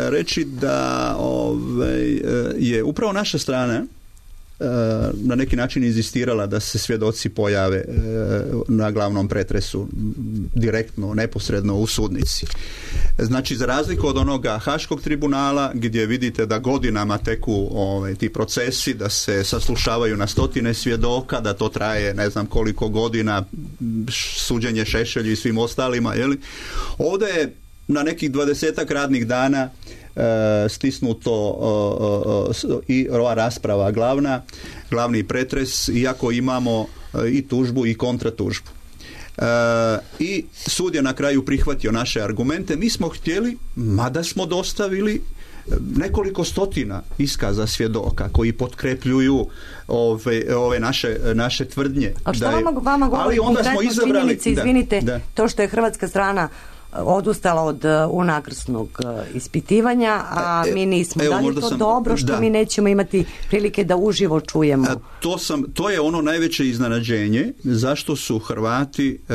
reći da ovaj, je upravo naša strana na neki način inzistirala da se svjedoci pojave na glavnom pretresu direktno, neposredno u sudnici. Znači, za razliku od onoga Haškog tribunala gdje vidite da godinama teku ovaj, ti procesi, da se saslušavaju na stotine svjedoka, da to traje ne znam koliko godina, suđenje Šešelju i svim ostalima, je li? Ovdje je na nekih dvadesetak radnih dana E, stisnuto e, e, i ova rasprava glavna, glavni pretres, iako imamo e, i tužbu i kontratužbu. E, I sud je na kraju prihvatio naše argumente. Mi smo htjeli, mada smo dostavili nekoliko stotina iskaza svjedoka koji potkrepljuju ove, ove naše, naše tvrdnje. A što vama, vama govori konkretno činjenice, izvinite, da, da. To što je hrvatska strana odustala od unakrsnog ispitivanja, a mi nismo. Evo, da li je to sam, dobro što da. mi nećemo imati prilike da uživo čujemo? A, to, sam, to je ono najveće iznenađenje zašto su Hrvati e,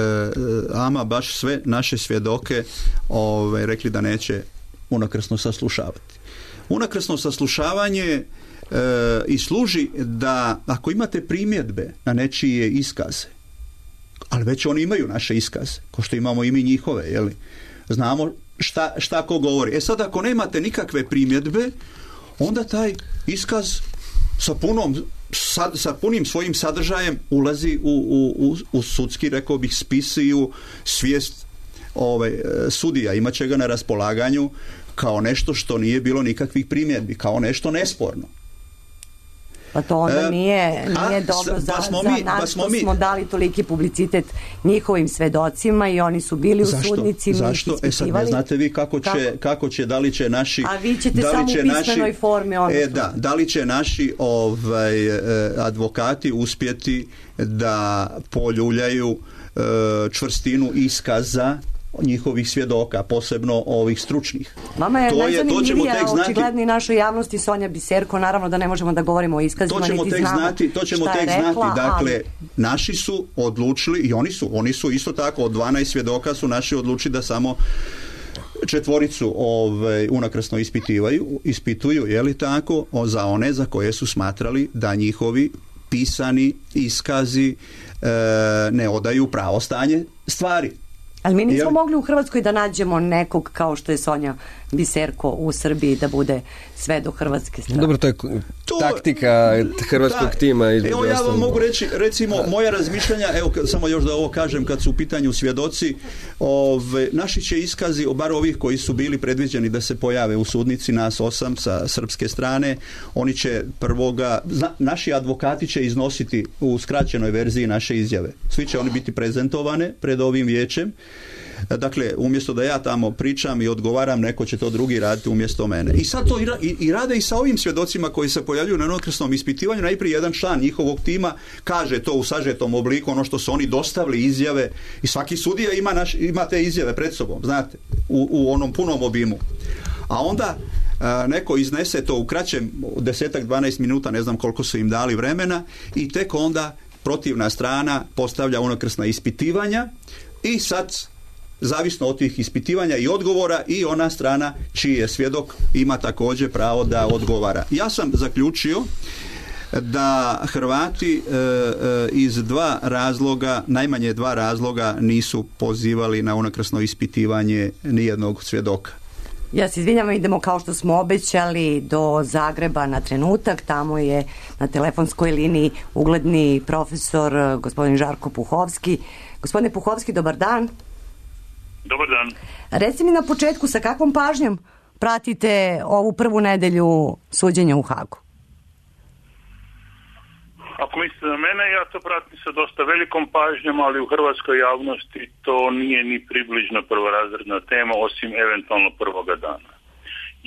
ama baš sve naše svjedoke ove, rekli da neće unakrsno saslušavati. Unakrsno saslušavanje e, i služi da ako imate primjedbe na nečije iskaze, ali već oni imaju naše iskaze, ko što imamo i mi njihove, jeli? Znamo šta, šta ko govori. E sad, ako nemate nikakve primjedbe, onda taj iskaz sa, punom, sa, sa punim svojim sadržajem ulazi u, u, u, u sudski, rekao bih, spis i u svijest ovaj, sudija. Imat će ga na raspolaganju kao nešto što nije bilo nikakvih primjedbi, kao nešto nesporno. Pa to onda nije, nije A, dobro za, pa smo za mi, nas pa što smo, mi. smo dali toliki publicitet njihovim svedocima i oni su bili Zašto? u sudnici. Zašto? E sad ne znate vi kako će, kako? kako će, da li će naši... A vi ćete da li samo će u pismenoj naši, formi. Ono e, da, da li će naši ovaj, advokati uspjeti da poljuljaju e, čvrstinu iskaza njihovih svjedoka, posebno ovih stručnih. Vama je to najzanimljivija, znati, očigledni našoj javnosti Sonja Biserko, naravno da ne možemo da govorimo o iskazima, to ćemo niti tek znamo znati, to ćemo šta tek je rekla, znati. Dakle, ali... naši su odlučili, i oni su, oni su isto tako, od dvanaest svjedoka su naši odlučili da samo četvoricu ovaj, unakrsno ispitivaju, ispituju, je li tako, o, za one za koje su smatrali da njihovi pisani iskazi e, ne odaju pravo stanje stvari. Ali mi nismo Jel? mogli u Hrvatskoj da nađemo nekog kao što je Sonja Biserko u Srbiji da bude sve do hrvatske strane. Dobro, to je to, taktika hrvatskog da, tima. Evo ja vam mogu reći, recimo, moja razmišljanja, evo samo još da ovo kažem, kad su u pitanju svjedoci, ove, naši će iskazi, bar ovih koji su bili predviđeni da se pojave u sudnici, nas osam sa srpske strane, oni će prvoga, zna, naši advokati će iznositi u skraćenoj verziji naše izjave. Svi će oni biti prezentovane pred ovim vijećem. Dakle, umjesto da ja tamo pričam i odgovaram, neko će to drugi raditi umjesto mene. I sad to i, i, i rade i sa ovim svjedocima koji se pojavljuju na unakrsnom ispitivanju. Najprije jedan član njihovog tima kaže to u sažetom obliku, ono što su oni dostavili izjave, i svaki sudija ima, naš, ima te izjave pred sobom, znate, u, u onom punom obimu. A onda a, neko iznese to u kraćem desetak, dvanaest minuta, ne znam koliko su im dali vremena, i tek onda protivna strana postavlja unakrsna ispitivanja i sad, zavisno od tih ispitivanja i odgovora, i ona strana čiji je svjedok ima također pravo da odgovara. Ja sam zaključio da Hrvati e, e, iz dva razloga, najmanje dva razloga, nisu pozivali na unakrsno ispitivanje nijednog svjedoka. Ja se izvinjam, idemo kao što smo obećali do Zagreba na trenutak. Tamo je na telefonskoj liniji ugledni profesor gospodin Žarko Puhovski. Gospodine Puhovski, dobar dan. Dobar dan. Reci mi na početku, sa kakvom pažnjom pratite ovu prvu nedelju suđenja u Hagu? Ako mislite na mene, ja to pratim sa dosta velikom pažnjom, ali u hrvatskoj javnosti to nije ni približno prvorazredna tema, osim eventualno prvoga dana.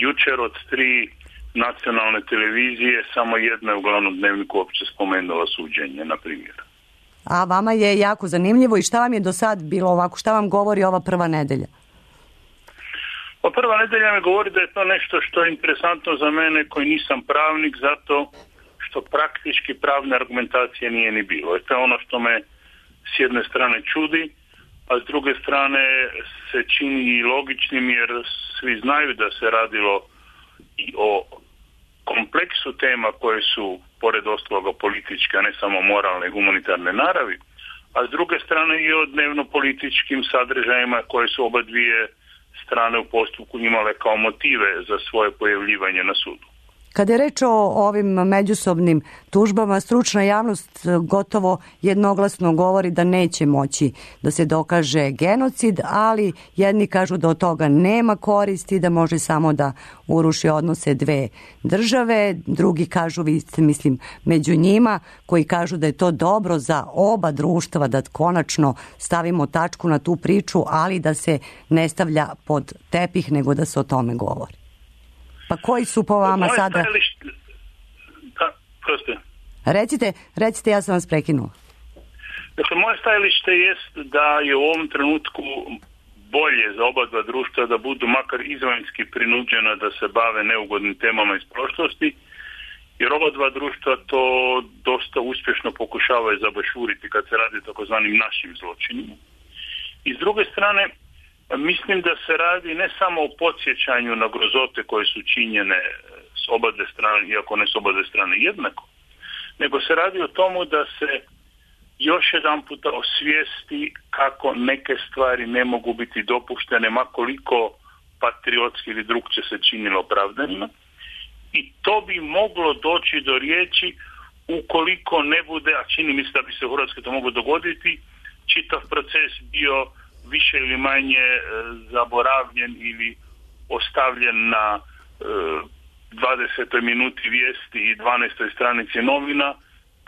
Jučer od tri nacionalne televizije samo jedna je u glavnom dnevniku uopće spomenula suđenje, na primjer. A vama je jako zanimljivo, i šta vam je do sad bilo ovako, šta vam govori ova prva nedelja? Pa prva nedelja mi govori da je to nešto što je interesantno za mene koji nisam pravnik, zato što praktički pravne argumentacije nije ni bilo. I to je ono što me s jedne strane čudi, a s druge strane se čini i logičnim jer svi znaju da se radilo i o kompleksu tema koje su pored ostaloga političke, a ne samo moralne i humanitarne naravi, a s druge strane i o dnevno-političkim sadržajima koje su oba dvije strane u postupku imale kao motive za svoje pojavljivanje na sudu. Kada je reč o ovim međusobnim tužbama, stručna javnost gotovo jednoglasno govori da neće moći da se dokaže genocid, ali jedni kažu da od toga nema koristi, da može samo da uruši odnose dve države, drugi kažu, vi ste mislim među njima, koji kažu da je to dobro za oba društva, da konačno stavimo tačku na tu priču, ali da se ne stavlja pod tepih, nego da se o tome govori. Pa koji su po vama Moje sada... stajalište... Da, proste. Recite, recite, ja sam vas prekinula. Dakle, moje stajalište jest da je u ovom trenutku bolje za oba dva društva da budu makar izvanjski prinuđena da se bave neugodnim temama iz prošlosti, jer oba dva društva to dosta uspješno pokušavaju zabašuriti kad se radi o takozvanim našim zločinima. I s druge strane, mislim da se radi ne samo o podsjećanju na grozote koje su činjene s oba dve strane, iako ne s oba dve strane jednako, nego se radi o tomu da se još jedan puta osvijesti kako neke stvari ne mogu biti dopuštene, ma koliko patriotski ili drugče se činilo opravdanima. I to bi moglo doći do riječi ukoliko ne bude, a čini mi se da bi se u Hrvatskoj to moglo dogoditi, čitav proces bio više ili manje e, zaboravljen ili ostavljen na e, dvadesetoj minuti vijesti i dvanaestoj stranici novina,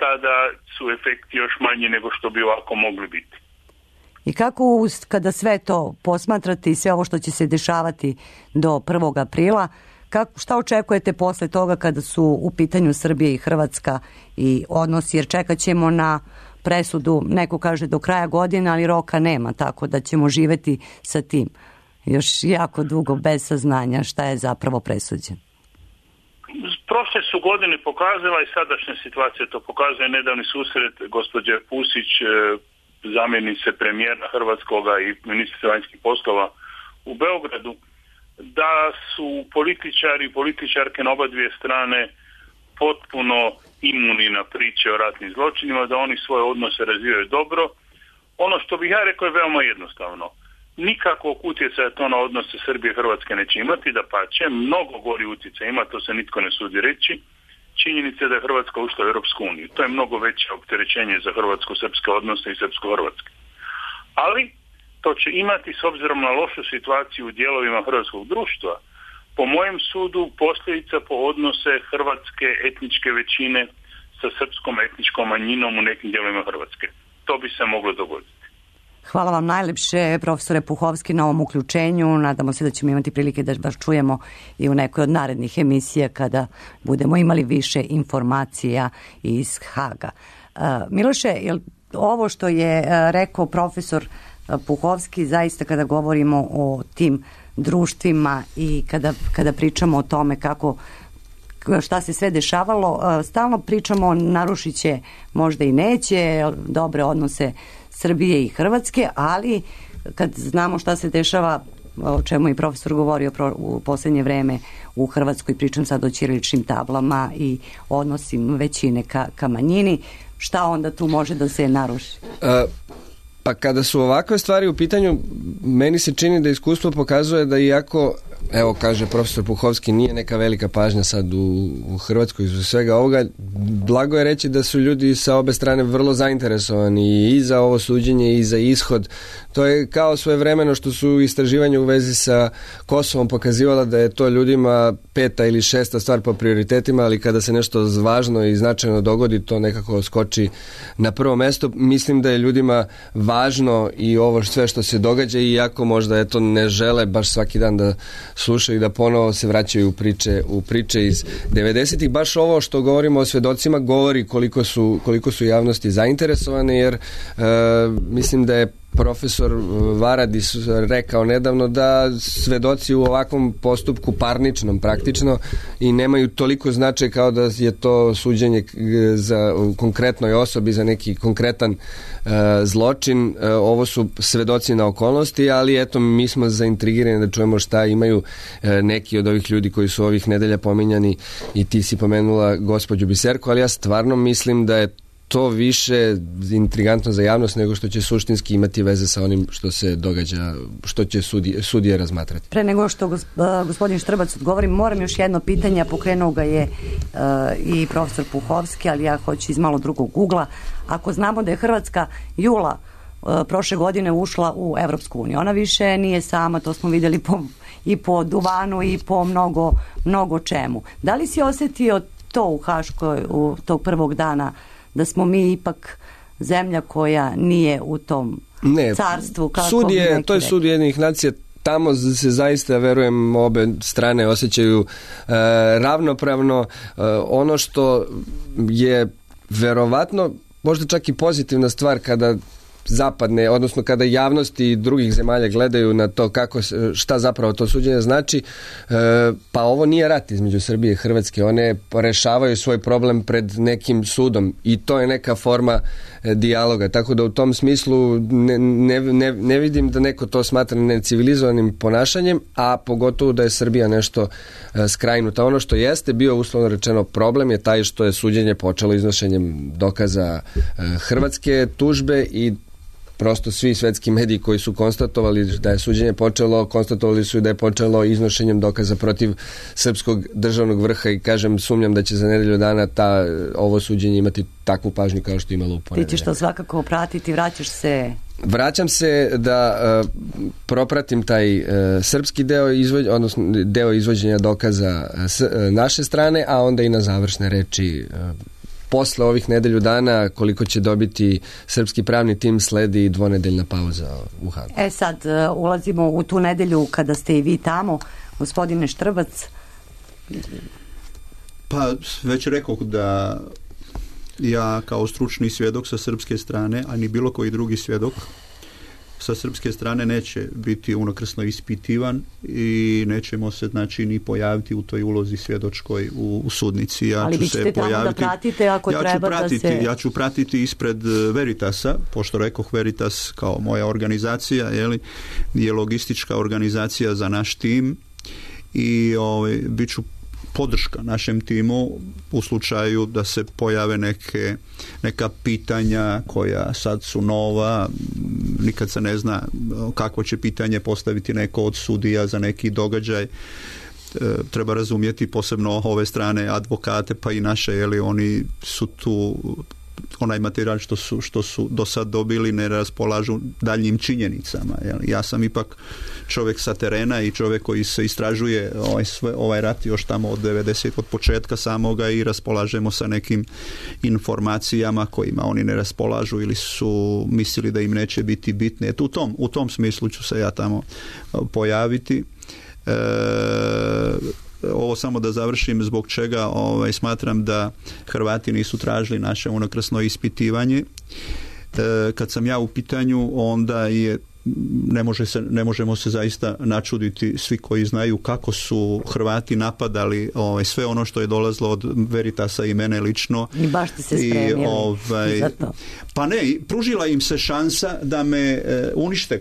tada su efekti još manji nego što bi ovako mogli biti. I kako kada sve to posmatrate i sve ovo što će se dešavati do prvog aprila, kako, šta očekujete posle toga kada su u pitanju Srbija i Hrvatska i odnosi, jer čekat ćemo na presudu, neko kaže do kraja godine, ali roka nema, tako da ćemo živjeti sa tim još jako dugo bez saznanja šta je zapravo presuđeno. Prošle su godine pokazala i sadašnja situacija to pokazuje, nedavni susret gospođe Pusić, zamjenice premijera hrvatskoga i ministra vanjskih poslova u Beogradu, da su političari i političarke na oba dvije strane potpuno imuni na priče o ratnim zločinima, da oni svoje odnose razvijaju dobro. Ono što bih ja rekao je veoma jednostavno. Nikakvog utjecaja to na odnose Srbije i Hrvatske neće imati, da pače, mnogo gori utjecaj ima, to se nitko ne sudi reći. Činjenica je da je Hrvatska ušla u Europsku uniju. To je mnogo veće opterećenje za hrvatsko-srpske odnose i srpsko-hrvatske. Ali to će imati, s obzirom na lošu situaciju u dijelovima hrvatskog društva, po mojem sudu posljedica po odnose hrvatske etničke većine sa srpskom etničkom manjinom u nekim dijelovima Hrvatske. To bi se moglo dogoditi. Hvala vam najlepše, profesore Puhovski, na ovom uključenju. Nadamo se da ćemo imati prilike da vas čujemo i u nekoj od narednih emisija kada budemo imali više informacija iz Haga. Miloše, jel ovo što je rekao profesor Puhovski, zaista kada govorimo o tim društvima i kada, kada pričamo o tome kako šta se sve dešavalo, stalno pričamo narušit će, možda i neće, dobre odnose Srbije i Hrvatske, ali kad znamo šta se dešava, o čemu je profesor govorio u posljednje vreme u Hrvatskoj, pričam sad o ćiriličnim tablama i odnosim većine ka, ka manjini, šta onda tu može da se naruši? Uh. Pa kada su ovakve stvari u pitanju, meni se čini da iskustvo pokazuje da iako, evo kaže profesor Puhovski, nije neka velika pažnja sad u, u Hrvatskoj iz svega ovoga, blago je reći da su ljudi sa obe strane vrlo zainteresovani i za ovo suđenje i za ishod. To je kao svojevremeno što su istraživanja u vezi sa Kosovom pokazivala da je to ljudima peta ili šesta stvar po prioritetima, ali kada se nešto važno i značajno dogodi, to nekako skoči na prvo mesto. Mislim da je ljudima važno i ovo sve što se događa, iako možda eto ne žele baš svaki dan da slušaju i da ponovo se vraćaju u priče, u priče iz devedesetih. Baš ovo što govorimo o svjedocima govori koliko su, koliko su javnosti zainteresovane, jer e, mislim da je profesor Varadis rekao nedavno da svedoci u ovakvom postupku parničnom praktično i nemaju toliko značaj kao da je to suđenje za konkretnoj osobi za neki konkretan uh, zločin. Uh, ovo su svedoci na okolnosti, ali eto mi smo zaintrigirani da čujemo šta imaju uh, neki od ovih ljudi koji su ovih nedelja pominjani i ti si pomenula gospođu Biserko, ali ja stvarno mislim da je to više intrigantno za javnost nego što će suštinski imati veze sa onim što se događa, što će sudije, sudije razmatrati. Pre nego što gospodin Štrbac odgovori, moram još jedno pitanje, a pokrenuo ga je uh, i profesor Puhovski, ali ja hoću iz malo drugog ugla. Ako znamo da je Hrvatska jula uh, prošle godine ušla u Evropsku uniju, ona više nije sama, to smo vidjeli po, i po duvanu i po mnogo, mnogo čemu. Da li si osjetio to u Haškoj, u tog prvog dana, da smo mi ipak zemlja koja nije u tom ne, carstvu? Kako sud je, to je rekli. Sud Ujedinjenih nacija, tamo se zaista, verujem, obe strane osjećaju e, ravnopravno. E, ono što je verovatno možda čak i pozitivna stvar kada zapadne, odnosno kada javnosti drugih zemalja gledaju na to kako, šta zapravo to suđenje znači, pa ovo nije rat između Srbije i Hrvatske, one rešavaju svoj problem pred nekim sudom i to je neka forma dijaloga, tako da u tom smislu ne, ne, ne, ne vidim da neko to smatra necivilizovanim ponašanjem, a pogotovo da je Srbija nešto skrajnuta. Ono što jeste bio uslovno rečeno problem je taj što je suđenje počelo iznošenjem dokaza hrvatske tužbe i prosto svi svetski mediji koji su konstatovali da je suđenje počelo, konstatovali su da je počelo iznošenjem dokaza protiv srpskog državnog vrha i kažem, sumnjam da će za nedelju dana ta, ovo suđenje imati takvu pažnju kao što je imalo u ponedeljak. Ti ćeš to svakako pratiti, vraćaš se... Vraćam se da uh, propratim taj uh, srpski deo, izvođ, odnosno deo izvođenja dokaza s, uh, naše strane, a onda i na završne reči uh, posle ovih nedelju dana, koliko će dobiti srpski pravni tim, sledi dvonedeljna pauza u Hagu. E sad, uh, ulazimo u tu nedelju kada ste i vi tamo, gospodine Štrbac. Pa, već rekao da ja kao stručni svjedok sa srpske strane, a ni bilo koji drugi svjedok sa srpske strane neće biti unakrsno ispitivan i nećemo se znači ni pojaviti u toj ulozi svjedočkoj u, u sudnici. Ja Ali ću vi ćete se tamo pojaviti, da pratite ako ja treba ću pratiti, da se... Ja ću pratiti ispred Veritasa, pošto rekoh Veritas kao moja organizacija, jeli, je logistička organizacija za naš tim i ovaj, bit ću podrška našem timu u slučaju da se pojave neke, neka pitanja koja sad su nova, nikad se ne zna kakvo će pitanje postaviti neko od sudija za neki događaj. E, treba razumjeti posebno ove strane advokate pa i naše, jeli oni su tu, onaj materijal što su, što su do sad dobili ne raspolažu daljnjim činjenicama. Jeli. Ja sam ipak čovjek sa terena i čovjek koji se istražuje ovaj, sve, ovaj rat još tamo od devedeset od početka samoga i raspolažemo sa nekim informacijama kojima oni ne raspolažu ili su mislili da im neće biti bitne. Eto, u tom, u tom smislu ću se ja tamo pojaviti. E, ovo samo da završim zbog čega ovaj, smatram da Hrvati nisu tražili naše unakrsno ispitivanje. E, kad sam ja u pitanju, onda je ne, može se, ne možemo se zaista načuditi svi koji znaju kako su Hrvati napadali ovaj, sve ono što je dolazilo od Veritasa i mene lično. I baš ste se spremili. I, ovaj, pa ne, pružila im se šansa da me e, unište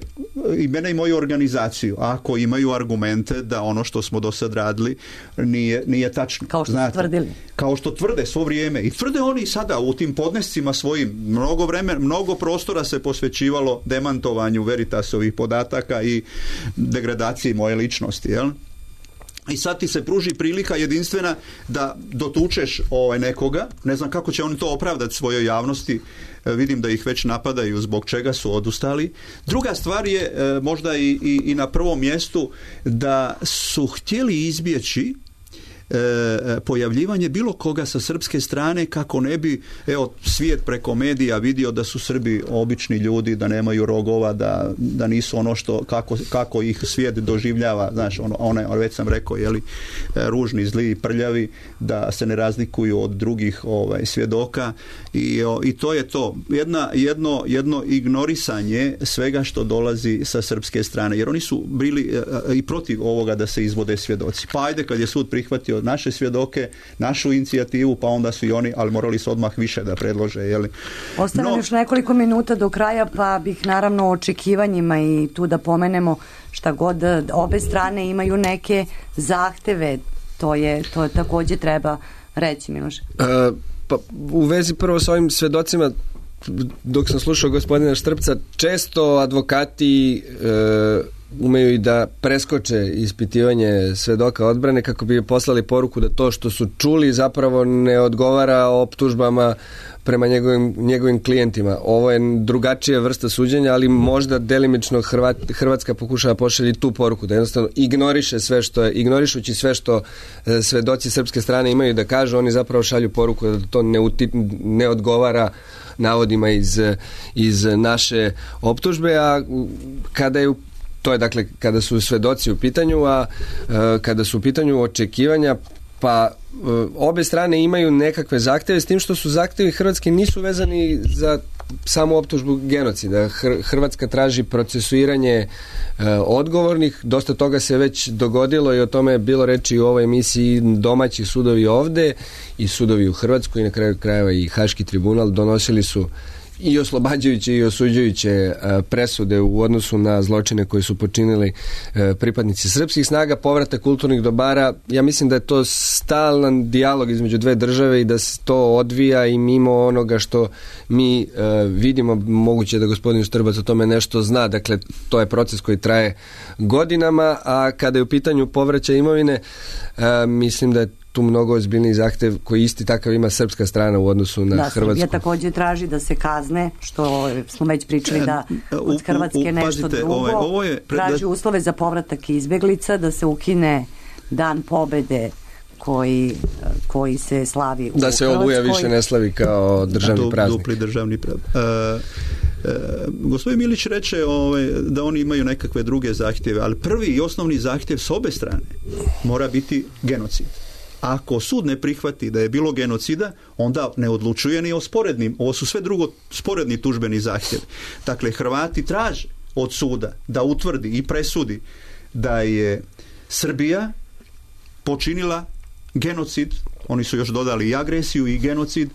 i mene i moju organizaciju, ako imaju argumente da ono što smo do sad radili nije, nije tačno. Kao što znate, su tvrdili. Kao što tvrde svo vrijeme. I tvrde oni sada u tim podnescima svojim. Mnogo vremena, mnogo prostora se posvećivalo demantovanju Veritasovih podataka i degradaciji moje ličnosti, jel? I sad ti se pruži prilika jedinstvena da dotučeš ovaj nekoga, ne znam kako će oni to opravdati svojoj javnosti, vidim da ih već napadaju zbog čega su odustali. Druga stvar je možda i, i, i na prvom mjestu da su htjeli izbjeći e, pojavljivanje bilo koga sa srpske strane kako ne bi, evo, svijet preko medija vidio da su Srbi obični ljudi, da nemaju rogova, da, da nisu ono što, kako, kako ih svijet doživljava, znaš, ono, one, već sam rekao, jeli, ružni, zli, prljavi, da se ne razlikuju od drugih ovaj, svjedoka i, o, i to je to. Jedna, jedno, jedno ignorisanje svega što dolazi sa srpske strane, jer oni su bili e, i protiv ovoga da se izvode svjedoci. Pa ajde, kad je sud prihvatio naše svjedoke, našu inicijativu, pa onda su i oni, ali morali su odmah više da predlože. Jeli. Ostane no, još nekoliko minuta do kraja, pa bih naravno o očekivanjima i tu da pomenemo šta god, obe strane imaju neke zahteve, to je, to također treba reći, Miloš. E, pa u vezi prvo s ovim svjedocima, dok sam slušao gospodina Štrpca, često advokati e, umeju i da preskoče ispitivanje svedoka odbrane kako bi poslali poruku da to što su čuli zapravo ne odgovara optužbama prema njegovim, njegovim klijentima. Ovo je drugačija vrsta suđenja, ali možda delimično Hrvat, Hrvatska pokušava pošalji tu poruku, da jednostavno ignoriše sve što je, ignorišući sve što e, svedoci srpske strane imaju da kažu, oni zapravo šalju poruku da to ne, uti, ne odgovara navodima iz, iz naše optužbe, a kada je to je dakle kada su svedoci u pitanju, a e, kada su u pitanju očekivanja, pa e, obe strane imaju nekakve zahtjeve, s tim što su zahtjevi Hrvatske nisu vezani za samu optužbu genocida. Hrvatska traži procesuiranje e, odgovornih, dosta toga se već dogodilo i o tome je bilo reči u ovoj emisiji. Domaći sudovi ovde i sudovi u Hrvatskoj i na kraju krajeva i Haški tribunal donosili su i oslobađajuće i osuđujuće presude u odnosu na zločine koje su počinili pripadnici srpskih snaga, povratak kulturnih dobara. Ja mislim da je to stalan dijalog između dve države i da se to odvija i mimo onoga što mi vidimo. Moguće da gospodin Štrbac o tome nešto zna. Dakle, to je proces koji traje godinama, a kada je u pitanju povraćaj imovine, mislim da je tu mnogo ozbiljniji zahtjev koji isti takav ima srpska strana u odnosu na da, Hrvatsku. Da, Srbija također traži da se kazne, što smo već pričali da od Hrvatske u, u, nešto pazite, drugo. Ovaj, ovo je pred... Traži uslove za povratak izbjeglica, da se ukine dan pobede koji, koji se slavi u da se Oluja više ne slavi kao državni praznik. Dupli državni praznik. Uh, Uh, gospodin Milić reče ovaj, da oni imaju nekakve druge zahtjeve, ali prvi i osnovni zahtjev s obe strane mora biti genocid. Ako sud ne prihvati da je bilo genocida, onda ne odlučuje ni o sporednim. Ovo su sve drugo sporedni tužbeni zahtjevi. Dakle, Hrvati traže od suda da utvrdi i presudi da je Srbija počinila genocid, oni su još dodali i agresiju i genocid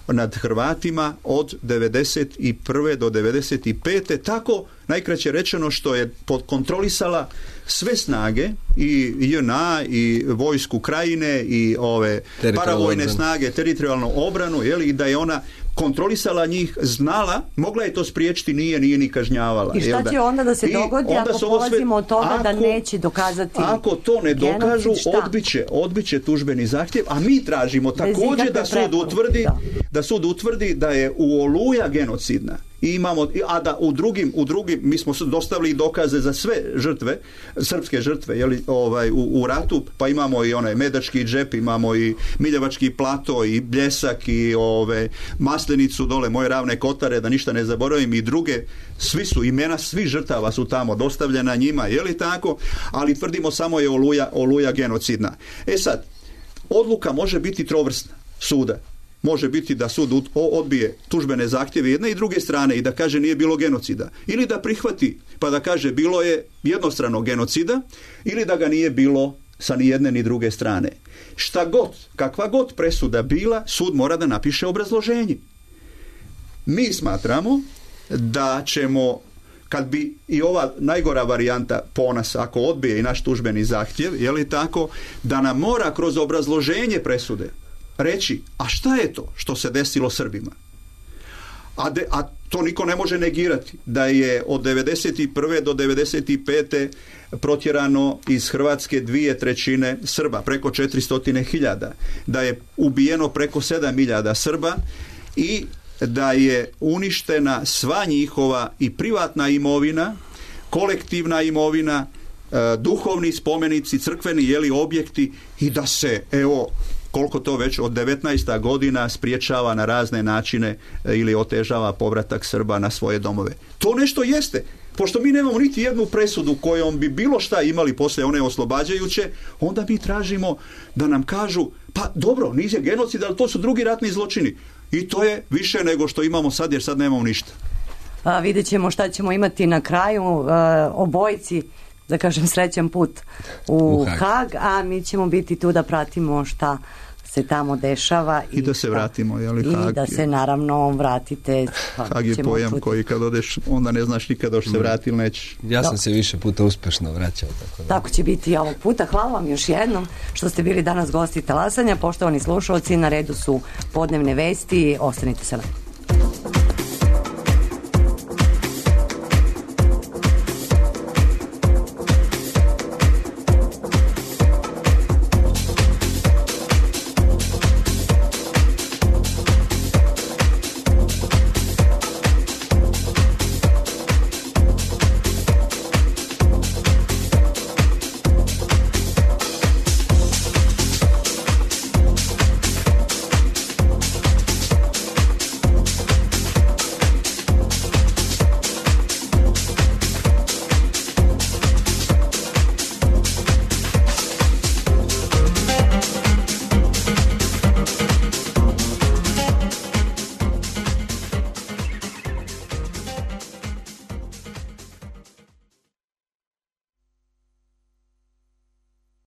nad Hrvatima od devedeset prve do devedeset pete tako najkraće rečeno što je kontrolisala sve snage i J N A i vojsku Krajine i ove paravojne snage, teritorijalnu obranu, je li, i da je ona kontrolisala njih, znala, mogla je to spriječiti, nije, nije ni kažnjavala. I šta će onda da se dogodi I ako polazimo od toga ako, da neće dokazati ako to ne dokažu, odbiće, odbiće tužbeni zahtjev, a mi tražimo također da sud utvrdi da. da sud utvrdi da je u Oluja genocidna. I imamo, a da u drugim, u drugim mi smo dostavili dokaze za sve žrtve, srpske žrtve, jeli, ovaj, u, u ratu, pa imamo i onaj Medački džep, imamo i Miljevački plato i Bljesak i ove Maslenicu dole, moje Ravne Kotare, da ništa ne zaboravim, i druge, svi su imena, svi žrtava su tamo dostavljena njima, je li tako? Ali tvrdimo samo je Oluja, Oluja genocidna. E sad, odluka može biti trovrsna suda. Može biti da sud odbije tužbene zahtjeve jedne i druge strane i da kaže nije bilo genocida. Ili da prihvati pa da kaže bilo je jednostrano genocida, ili da ga nije bilo sa ni jedne ni druge strane. Šta god, kakva god presuda bila, sud mora da napiše obrazloženje. Mi smatramo da ćemo, kad bi i ova najgora varijanta po nas, ako odbije i naš tužbeni zahtjev, je li tako, da nam mora kroz obrazloženje presude reći, a šta je to što se desilo Srbima? A, de, a to niko ne može negirati, da je od devedeset prve do devedeset pete protjerano iz Hrvatske dvije trećine Srba, preko četiristo hiljada, da je ubijeno preko sedam hiljada Srba i da je uništena sva njihova i privatna imovina, kolektivna imovina duhovni spomenici, crkveni jeli objekti i da se, evo, koliko to već od devetnaesta godina spriječava na razne načine ili otežava povratak Srba na svoje domove. To nešto jeste. Pošto mi nemamo niti jednu presudu kojom bi bilo šta imali poslije one oslobađajuće, onda mi tražimo da nam kažu, pa dobro, nije genocid, ali to su drugi ratni zločini. I to je više nego što imamo sad, jer sad nemamo ništa. A, vidjet ćemo šta ćemo imati na kraju. A, obojci, da kažem, srećan put u, u Hag. Hag, a mi ćemo biti tu da pratimo šta se tamo dešava. I, I da se vratimo, jel, i Hag, da se naravno vratite. Hag je pojam put... koji kad odeš, onda ne znaš nikada što se vrati ili nećeš. Ja sam se više puta uspešno vraćao. Tako, da. Tako će biti i ovog puta. Hvala vam još jednom što ste bili danas gosti Talasanja. Poštovani slušalci, na redu su podnevne vesti. Ostanite sa nama.